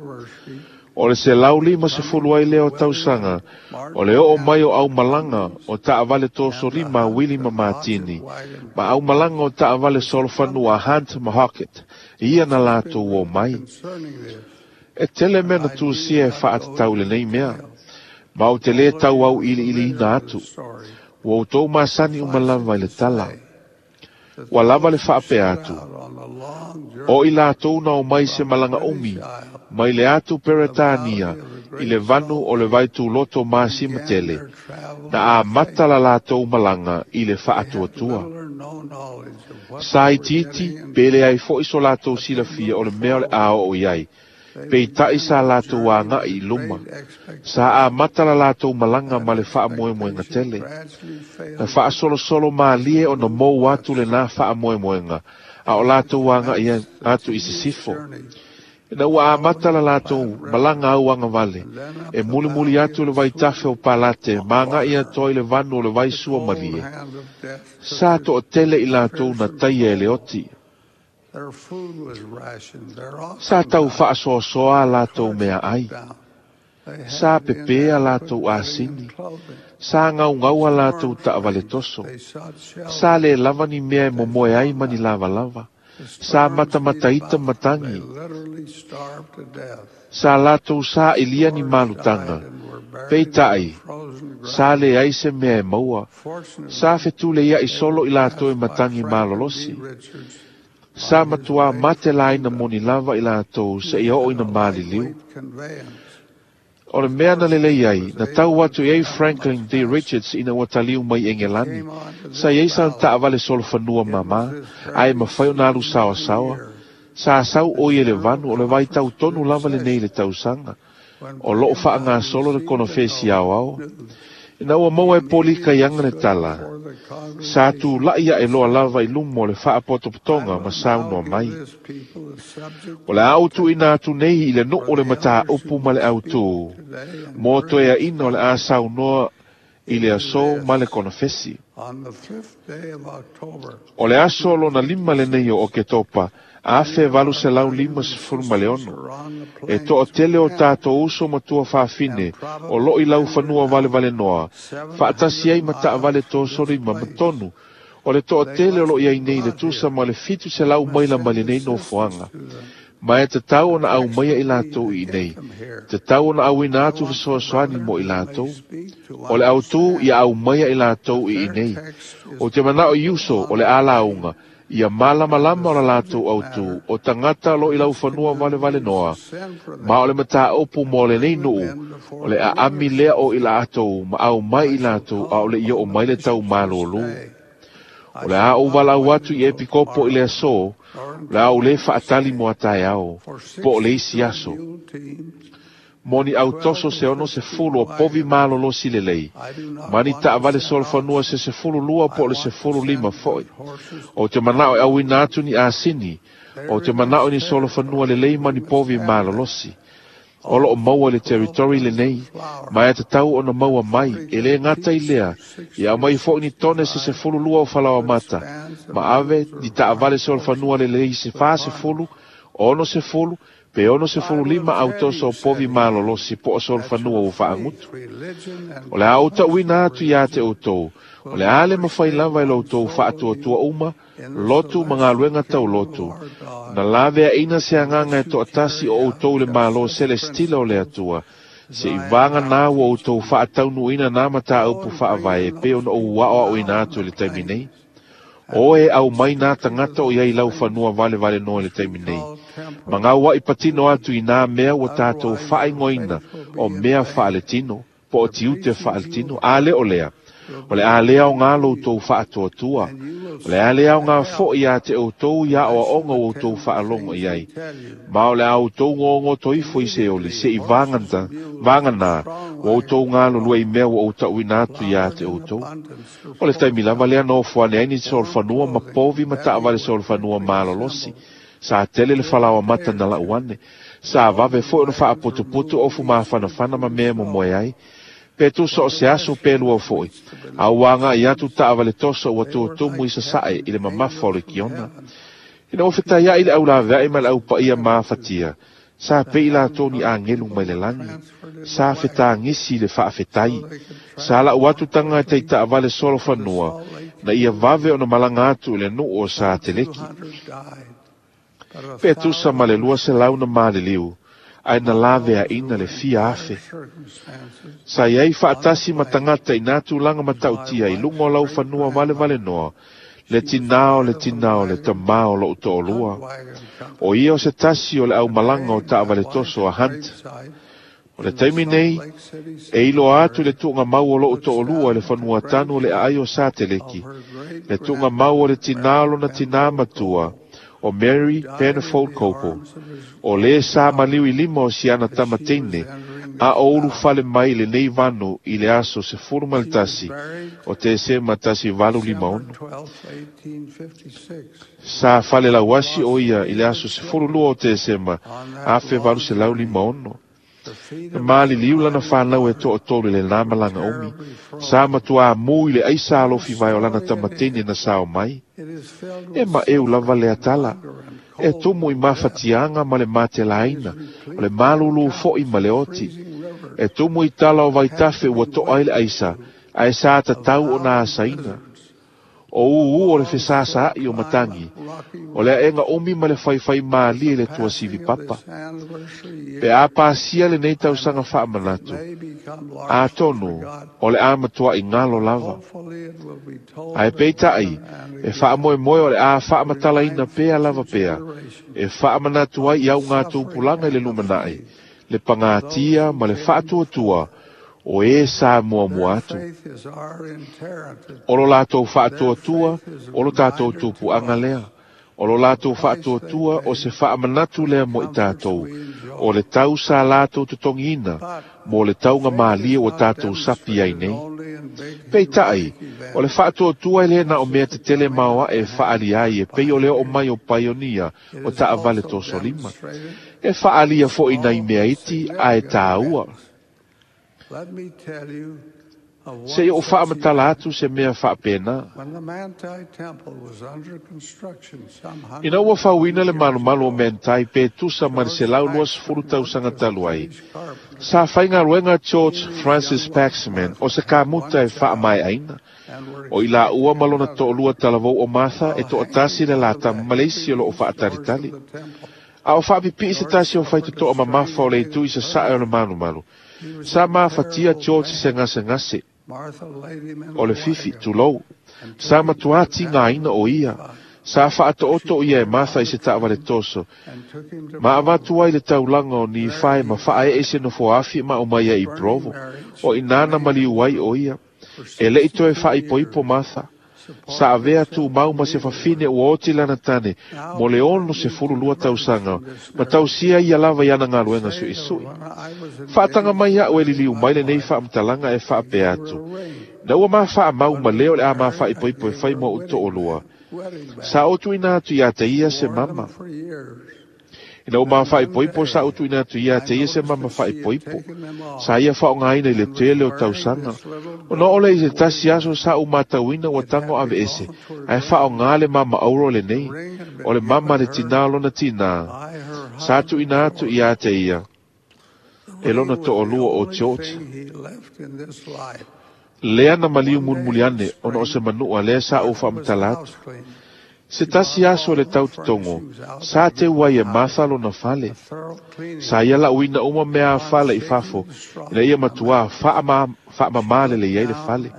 O le 150 ai lea o tausaga, o le oo mai o aumalaga o taavale tosolima a Wili ma Matini, ma aumalaga o taavale solofanua a Hunt ma Hockett, ia na latou o mai. E tele mea na tusia e faatatau i lenei mea, ma ou te lē tau auiliiliina atu. Ua outou masani uma lava i le tala. Ua lava le faapea atu. O i latou na omai se malaga umi mai le atu Peretania i le vanu o le vaituloto masima tele, na amata la latou malaga i le faatuatua. Sa itiiti pe leai foʻi so latou silafia o le mea o le a oo i ai, peitaʻi sa latou agaʻi i luma. Sa amata la latou malaga ma le faamoemoega tele. Na faasolosolo malie ona mou atu lenā faamoemoega, a o latou agaʻi atu i sisifo. Ina ua amata la latou malaga auagavale, e mulimuli atu le vaitafe o Palate ma agaʻi atoa i le vanu o le vaisua malie. Sa toʻatele i latou na taia e le oti. Their food was rationed. Their Sa oxen tau died. faasoasoa a latou mea ai. They Sa had to be pepē a latou inadequate clean asini. clothing. Sa gaugau a latou taavale toso. They sought Sa shelter. lē lava ni mea e momoe ai ma ni lavalava. The Sa storms beat matamataita about them. They matagi. literally starved to death. Sa latou sa ilia ni Scores malutaga. died and were buried in Peitaʻi, frozen sa ground. leai se mea e maua. Sa Fortunately, fetuleiaʻi they solo were i latou e passed by matagi Franklin D. malolosi. Richards Sa on his matuā way mate to laina Cuba. moni lava i latou He se ia oo had ina a maliliu. lightweight conveyance. O le His mea na horses lelei ai, was na tau able to atu i ai travel much Franklin D. faster. Richards ina ua taliu mai He Engelani. came on to Sa this iai sana valley. taavale solofanua It was mamā, this ae very mafai ona alu season of the saoasaoa. year, Sa sau the o i e le General vanu o le vaitau Conference tonu was in lava lenei i le session tausaga. when O loo Brigham Young faagasolo le received the konofesi aoao. news. Ina ua maua He e Polika immediately ianga le stood tala. before the Sa congregation tulaʻi aʻe and loa said, lava i luma o le I faapotopotoga will ma now saunoa give mai. this people the subject O le of a their utuʻina atu nei i le for nuu le the elders who mataupu ma will le speak autū. today and Mo during toe this aʻina o le a conference. saunoa i It le is aso ma le this. konofesi. On the 5th day of October, O le aso lona lima lenei o Oketopa, many of our brethren and 1856. sisters are on the E plains toʻatele o camped tatou uso ma tua faafine, and o loo probably i lau rendered fanua out valevalenoa, faatasi 700 ai ma taavale miles from this tosolima ma place. tonu. O le They toʻatele o must loo be iai nei le brought tusa here. ma le 700 We must maila mai send lenei assistance nofoaga. to them Ma e tatau ona to aumaia i expertise latou to i get nei. them here. Tatau ona auina I atu want the fesoasoani mo brethren i who may latou. speak to O le autū ia understand aumaia i latou that i their inei. text is O te manao i dependent uso o on le the alauga, faith ia and the malamalama o la latou subject autū, matter o tagata lo i for lau which fanua community valevale is noa. to send for Ma o them le mataupu and mo lenei bring them nuu, in o before le the aami lea leadership. o i latou, ma au mai I i shall latou, a o call le ia o upon the mai le tau bishops to malōlū. stay. O I le a shall ou not valau wait atu i until epikopo i le tomorrow, aso, nor o le a until ou lē the next faatali day. mo ataeao, For po o le isi 62 aso. mule teams Mo ni and autoso 12 se to ono se 15 fulu o povi wagons, malolosi lelei. I do not Ma ni want to taavale send solofanua oxen. se 12 I po o le want to 15 send foʻi. good horses O te manao e auina atu ni asini, o They're te in manao this ni solofanua territory lelei and ma we ni must povi have them. malolosi. O loo Also, maua i le 12 territory tons lenei, of flour ma e tatau ona maua and mai, e lē 43 gata i lea, pieces, ia aumai foʻi ni tone se 65 12 o good falaoamata, spans of ma ave mules or ni taavale farm horses solofanua lelei se with 40, harness. 60, pe I will 65 tell autoso you, o said povi he, malolosi po o that solofanua your ua faith, faagutu. religion, and O le a ou promise taʻuina to atu iā te religion outou, o will le a le never mafai save lava i lo one outou soul of faatuatua you uma, in the lotu ma celestial galuega tau kingdom of lotu. our Na God laveaʻina se agaga e unless you toʻatasi carry o out outou i le just Mālō such selestila o le principles Atua, Seʻi vagana ua outou faataunuuina nā mataupu faavae e pei ona ou aʻoaʻoina atu i le taimi nei. O e au mai nā tagata o iai laufanua valevale noa i le taimi nei. Ma gauaʻi patino atu i nā mea ua tatou faaigoaina o mea faaletino, po o tiute faaletino, a le o lea. O le a lea aogā loutou faatoatua. O le a lea aogā foʻi iā te outou i aʻoaʻoga ua outou faalogo i ai. Ma o le a outou gogoto ifo i Seoli, seʻi vagata, vaganā, ua outou galulue i mea ua ou taʻuina atu iā te outou. O le taimi lava lea na ofo ane ai ni solofanua ma povi ma taʻavale solofanua malolosi. Sa tele le falaoa mata na lau ane. Sa vave foʻi ona faaputuputu ofu mafanafana ma mea e momoe ai. Pe tusa o se aso pe lua foʻi. A ua agaʻi atu taʻavale toso ua tutumu i sasaʻe i le mamafa o le kiona. Ina ua fetaiaʻi le aulaveaʻi ma le aupaia mafatia. Sa pei latou ni agelu mai le lagi. Sa fetagisi i le faafetai. Sa laʻu atu taga e taitaʻavale solofanua, na ia vave ona malaga atu i le nuu o sa teleki. Pe tusa ma le 200 na maliliu, ae na laveaʻina le fia afe. Sa iai faatasi ma tagata i nā tulaga matautia i luga o laufanua valevalenoa, le tinā o le tinā o le tamā o loʻu toʻolua. O ia o se tasi o le aumalaga o taʻavale toso a Hunt. O le taimi nei, e iloa atu i le tuugamau o loʻu toʻolua i le fanua tanu o le aai o Sateleki, le tuugamau o le tinā o lona tinā matua, o Mary Penfold Copo. O lē sa maliu i lima o siana tamateine, a o ulufale mai i lenei vanu i le aso 11 o Tesema 1856. Sa falelauasi o ia i le aso 12 o Tesema 1856. Na maliliu lana fanau e toʻatolu i lenā malaga umi. Sa matuā mū i le aisa alofi vae o lana tamateine na sao mai. E maʻeu lava lea tala. E tumu i mafatiaga ma le matelaina, o le malulū foʻi ma le oti. E tumu i tala o vaitafe ua toʻa ai le aisa, ae sa tatau ona asaina. O ūū o le fesāsāʻi o matagi, o le aʻega umi ma le faifai malie i le tuasivi papa. Pe a pasia lenei tausaga faamanatu, atonu o le a matuaʻi galo lava. Ae peitaʻi, e faamoemoe o le a faamatalaina pea lava pea, e faamanatu ai i augatupulaga i le lumanaʻi, le pagatia ma le faatuatua, o e sa muamua atu. O lo latou faatuatua, o lo tatou tupuaga lea. O lo latou faatuatua o se faamanatu lea mo i tatou. O le tau sa latou totogiina, mo le tauga malie ua tatou sapi ai nei. Peitaʻi, o le faatuatua e lē na o mea tetele maoaʻe e faalia ai e pei o le oo mai o paionia o taʻavale tosolima. E faalia foʻi nai mea iti ae tāua. Seʻi ou faamatala atu se mea faapena. Ina ua fauina le malumalu o Manti pe tusa ma le 120 tausaga talu ai, sa faigaluega George Francis Paxman o se kamuta e faamaeʻaina. O i laua ma lona toʻalua talavou o Martha e toʻatasi le latama ma le isi o loo faatalitali. A o faapipii se tasi o faitotoa mamafa o le itu i sasaʻe o le malumalu. Sa mafatia George i se gasegase. O le fifi, tulou. Sa matuā tigaina o ia. Sa faatoʻoto ia e Martha i se taʻavale toso. Ma avatu ai le taulaga o Nifae ma faaeʻe i se nofoafi ma o mai ai i Provo. O inā na maliu ai o ia. E leʻi toe faaipoipo Martha. Sa avea tumau ma se fafine ua oti lana tane, mo le 62 tausaga, ma tausia ia lava i ana galuega suʻisuʻi. Faataga mai aʻu e liliu mai lenei faamatalaga e faapea atu. Na ua mafaamau ma lea o le a mafaipoipo e fai mo oʻu toʻolua. Sa ou tuuina atu iā te ia se mama. Ina ua mafaipoipo sa ou tuuina atu iā te ia se mama faaipoipo. Sa ia faaaogāina i le tele o tausaga. Ona oo lea i se tasi aso sa ou matauina ua tago aveese, ae faaaogā le mama auro lenei, o le mama a le tinā o lona tinā. Sa tuuina atu iā te ia e lona toʻolua o George. Lea na maliu mulimuli ane ona o se manuʻa lea sa ou faamatala atu. Se tasi aso le tau totogo, sa te ua e Martha lona fale. Sa ia lauina uma mea a fale i fafo, ina ia matuā faamamā lelei ai le fale.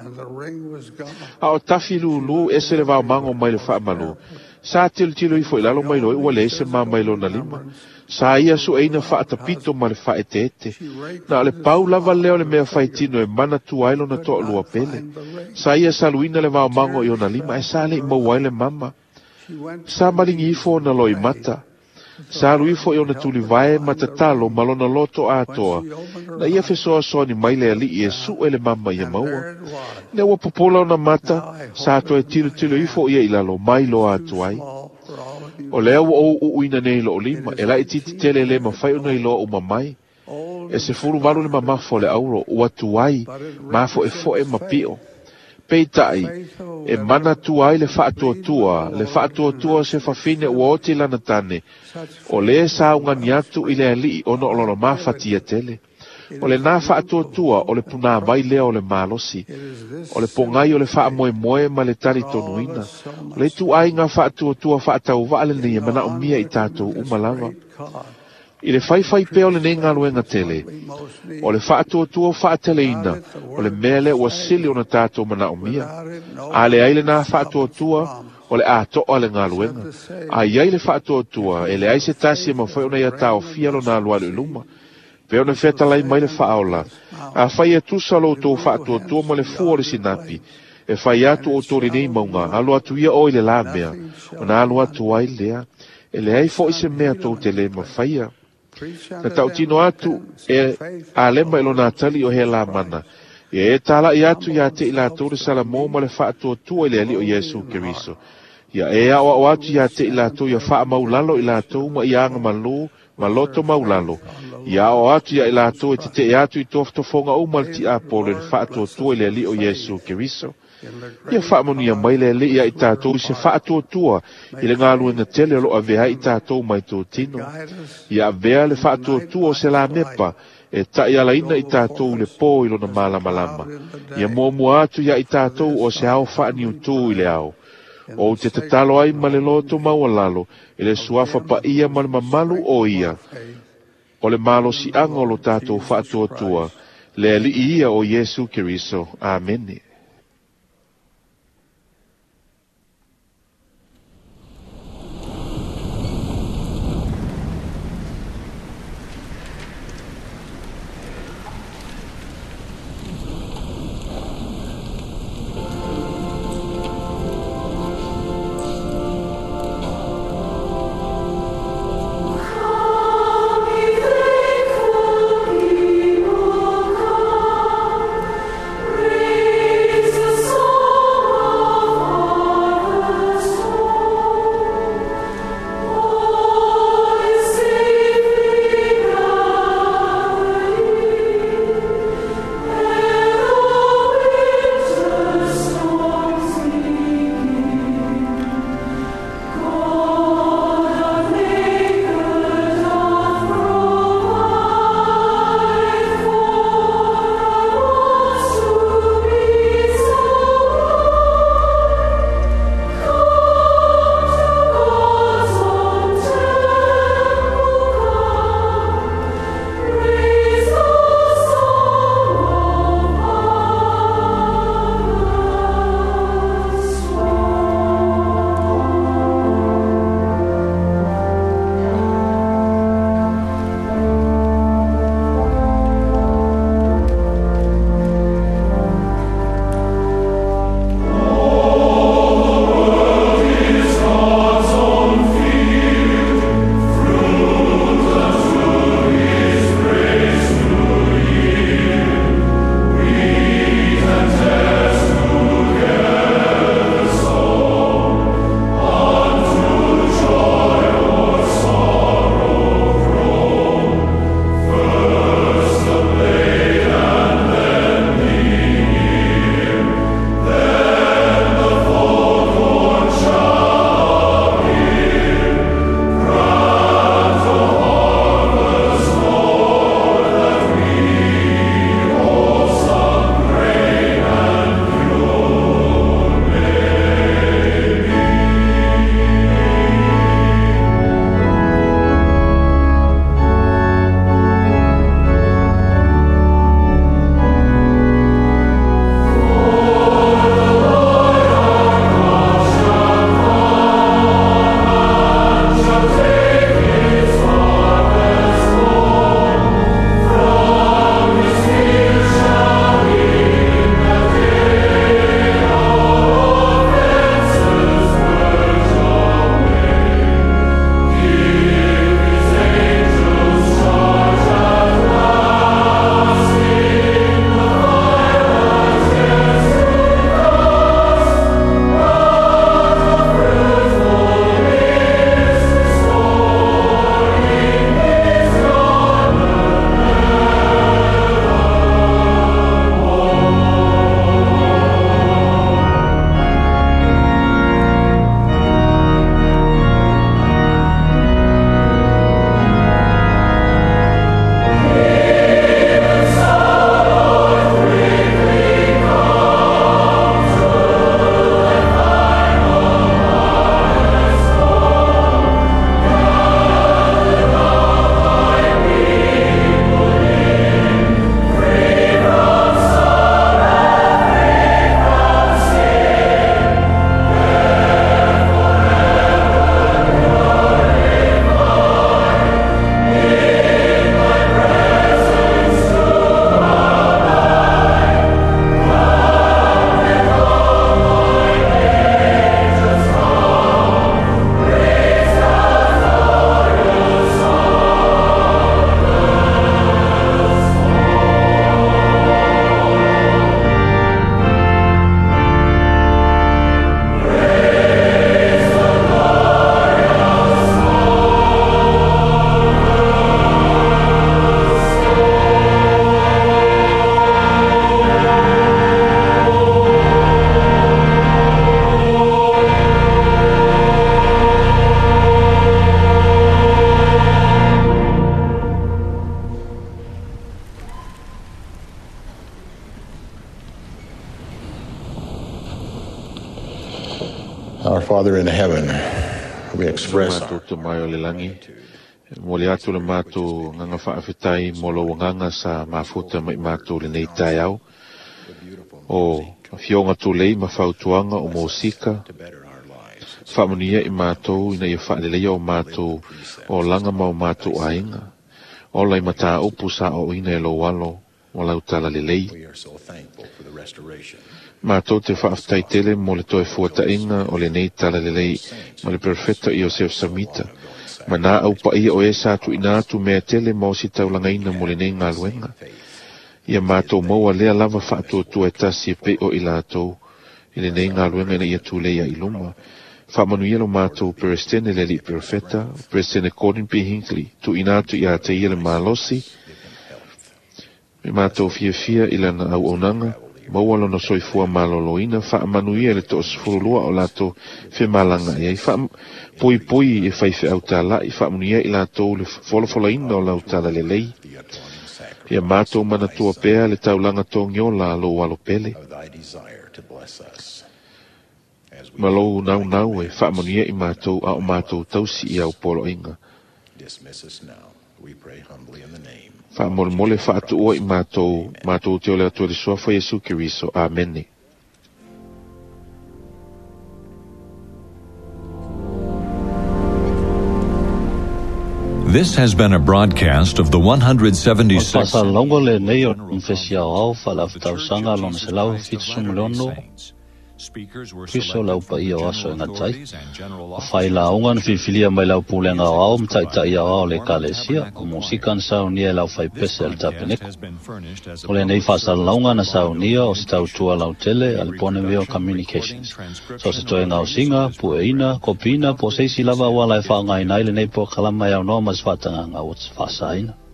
A o tafi lūlū ese le vaomago mai le faamalu. Sa tilotilo ifo i lalo mai loa ua leai se ma mai lona lima. Sa ia sueina faatapito ma le faaeteete. Na o le pau lava lea o le mea faitino e manatua ai lona toalua pele. Sa ia saluina le vaomago i ona lima ae sa le'i maua ai le mama. Sa maligi ifo ona loimata. Sa alu ifo i ona tulivae ma tatalo ma lona loto atoa. Na ia fesoasoani mai le ali'i e su'e le mama ia maua. Ina ua popola ona mata, sa toe tilotilo ifo ia i lalo mai loa atu ai. O lea ua ou uuina nei lo'o lima, e laitiiti tele e lē mafai ona iloa uma mai. E 18 le mamafa o le auro, ua tuai, mafo'efo'e ma pi'o. Peitai, e manatua ai le faatuatua, le faatuatua o se fafine ua oti lana tane, o lē saugani atu i le ali'i ona o lona mafatia tele. O lenā faatuatua o le punāvai lea o le malosi, o le pogai o le faamoemoe ma le talitonuina. O le ituaiga faatuatua faatauva'a lenei e manaomia i tatou uma lava. I le faifai pea o lenei galuega tele, o le faatuatua faateleina o le mea lea ua sili ona tatou manaomia. A leai lenā faatuatua, o le ato'a le galuega. A iai le faatuatua, e leai se tasi e mafai ona ia taofia lona alualu i luma. Pe ona fetalai mai le faaola, afai e tusa lo outou faatuatua ma le fua o le sinapi, e fai atu outou lenei mauga, alu atu ia oe i le la mea, ona alu atu ai lea. E leai fo'i se mea tou te lē mafaia. Na tautino atu e Alema i lona atali o Helamana, ia e tala'i atu iā te i latou le Salamo ma le faatuatua i le Alii o Iesu Keriso. Ia e aoao atu iā te i latou ia faamaulalo i latou ma ia agamalū ma loto maulalo. Ia aoao atu iā i latou e tete'e atu i tofotofoga uma le tiapolo i le faatuatua i le Alii o Iesu Keriso. Ia faamanuia mai le Alii ia i tatou i se faatuatua i le galuega tele o lo'o avea ai i tatou mai totino. Ia avea le faatuatua o se lamepa e ta'ialaina i tatou i le pō i lona malamalama. Ia muamua atu ia i tatou o se ao faaniutū i le ao. Ou te tatalo ai ma le loto maualalo i le suafa paia ma le mamalu o ia, o le malosi'aga o lo tatou faatuatua, le Alii ia o Iesu Keriso. Amene. Come, ye faithful people, come. Our Father in heaven, we express matou Tama e o le lagi, e momoli atu le matou agaga faafetai mo lou agaga sa mafuta ma i matou i lenei taeao, o afioga tulei ma fautuaga o mosika, faamanuia i matou ina ia faaleleia o matou olaga ma o matou aiga, ola i mataupu sa ooina e lou alo ma lau talalelei. Matou te faafetai tele mo le toe fuataʻiga o lenei talalelei ma le perofeta Iosef Samita, ma nā au paia o e sa tuuina atu mea tele ma ositaulagaina mo lenei galuega. Ia matou maua lea lava faatuatua e tasi e pei o i latou i lenei galuega ina ia tulei ai i luma. Faamanuia lo matou Peresetene le alii perofeta, Peresetene Gordon B. Hinckley, tuuina atu iā te ia le malosi, me matou fiafia i lana auaunaga, maua lona soifua malōlōina, faamanuia i le 12 o latou femalagaʻi ai, faapuipui e faifeau tālaʻi, faamanuia i latou le folafolaina o lau talalelei. Ia matou manatua pea le taulaga togiola a lou alo pele, ma lou naunau e faamanuia i matou a o matou tausi i au poloaiga. Faamolemole faatuua i matou, matou te o le Atua i le Suafa Iesu Keriso. Amene. This has been a broadcast of the O le 176th faasalalauga lenei o le Konofesi Aoao Faale-Afa-Tausaga lona 176 Keriso le Au Paia o Aso e Gata ai. O failauga na filifilia mai le au pulega aoao ma taitai aoao o le Ekalesia, o musika na saunia e le aufaipese a le Tapeneko. O lenei faasalalauga na saunia o se tautua lautele a le Bonneville Communications. So o se toe gaosiga, pueina, kopiina po o se isi lava auala e faaaogaina ai lenei polokalama e aunoa ma se faatagaga ua faasaina.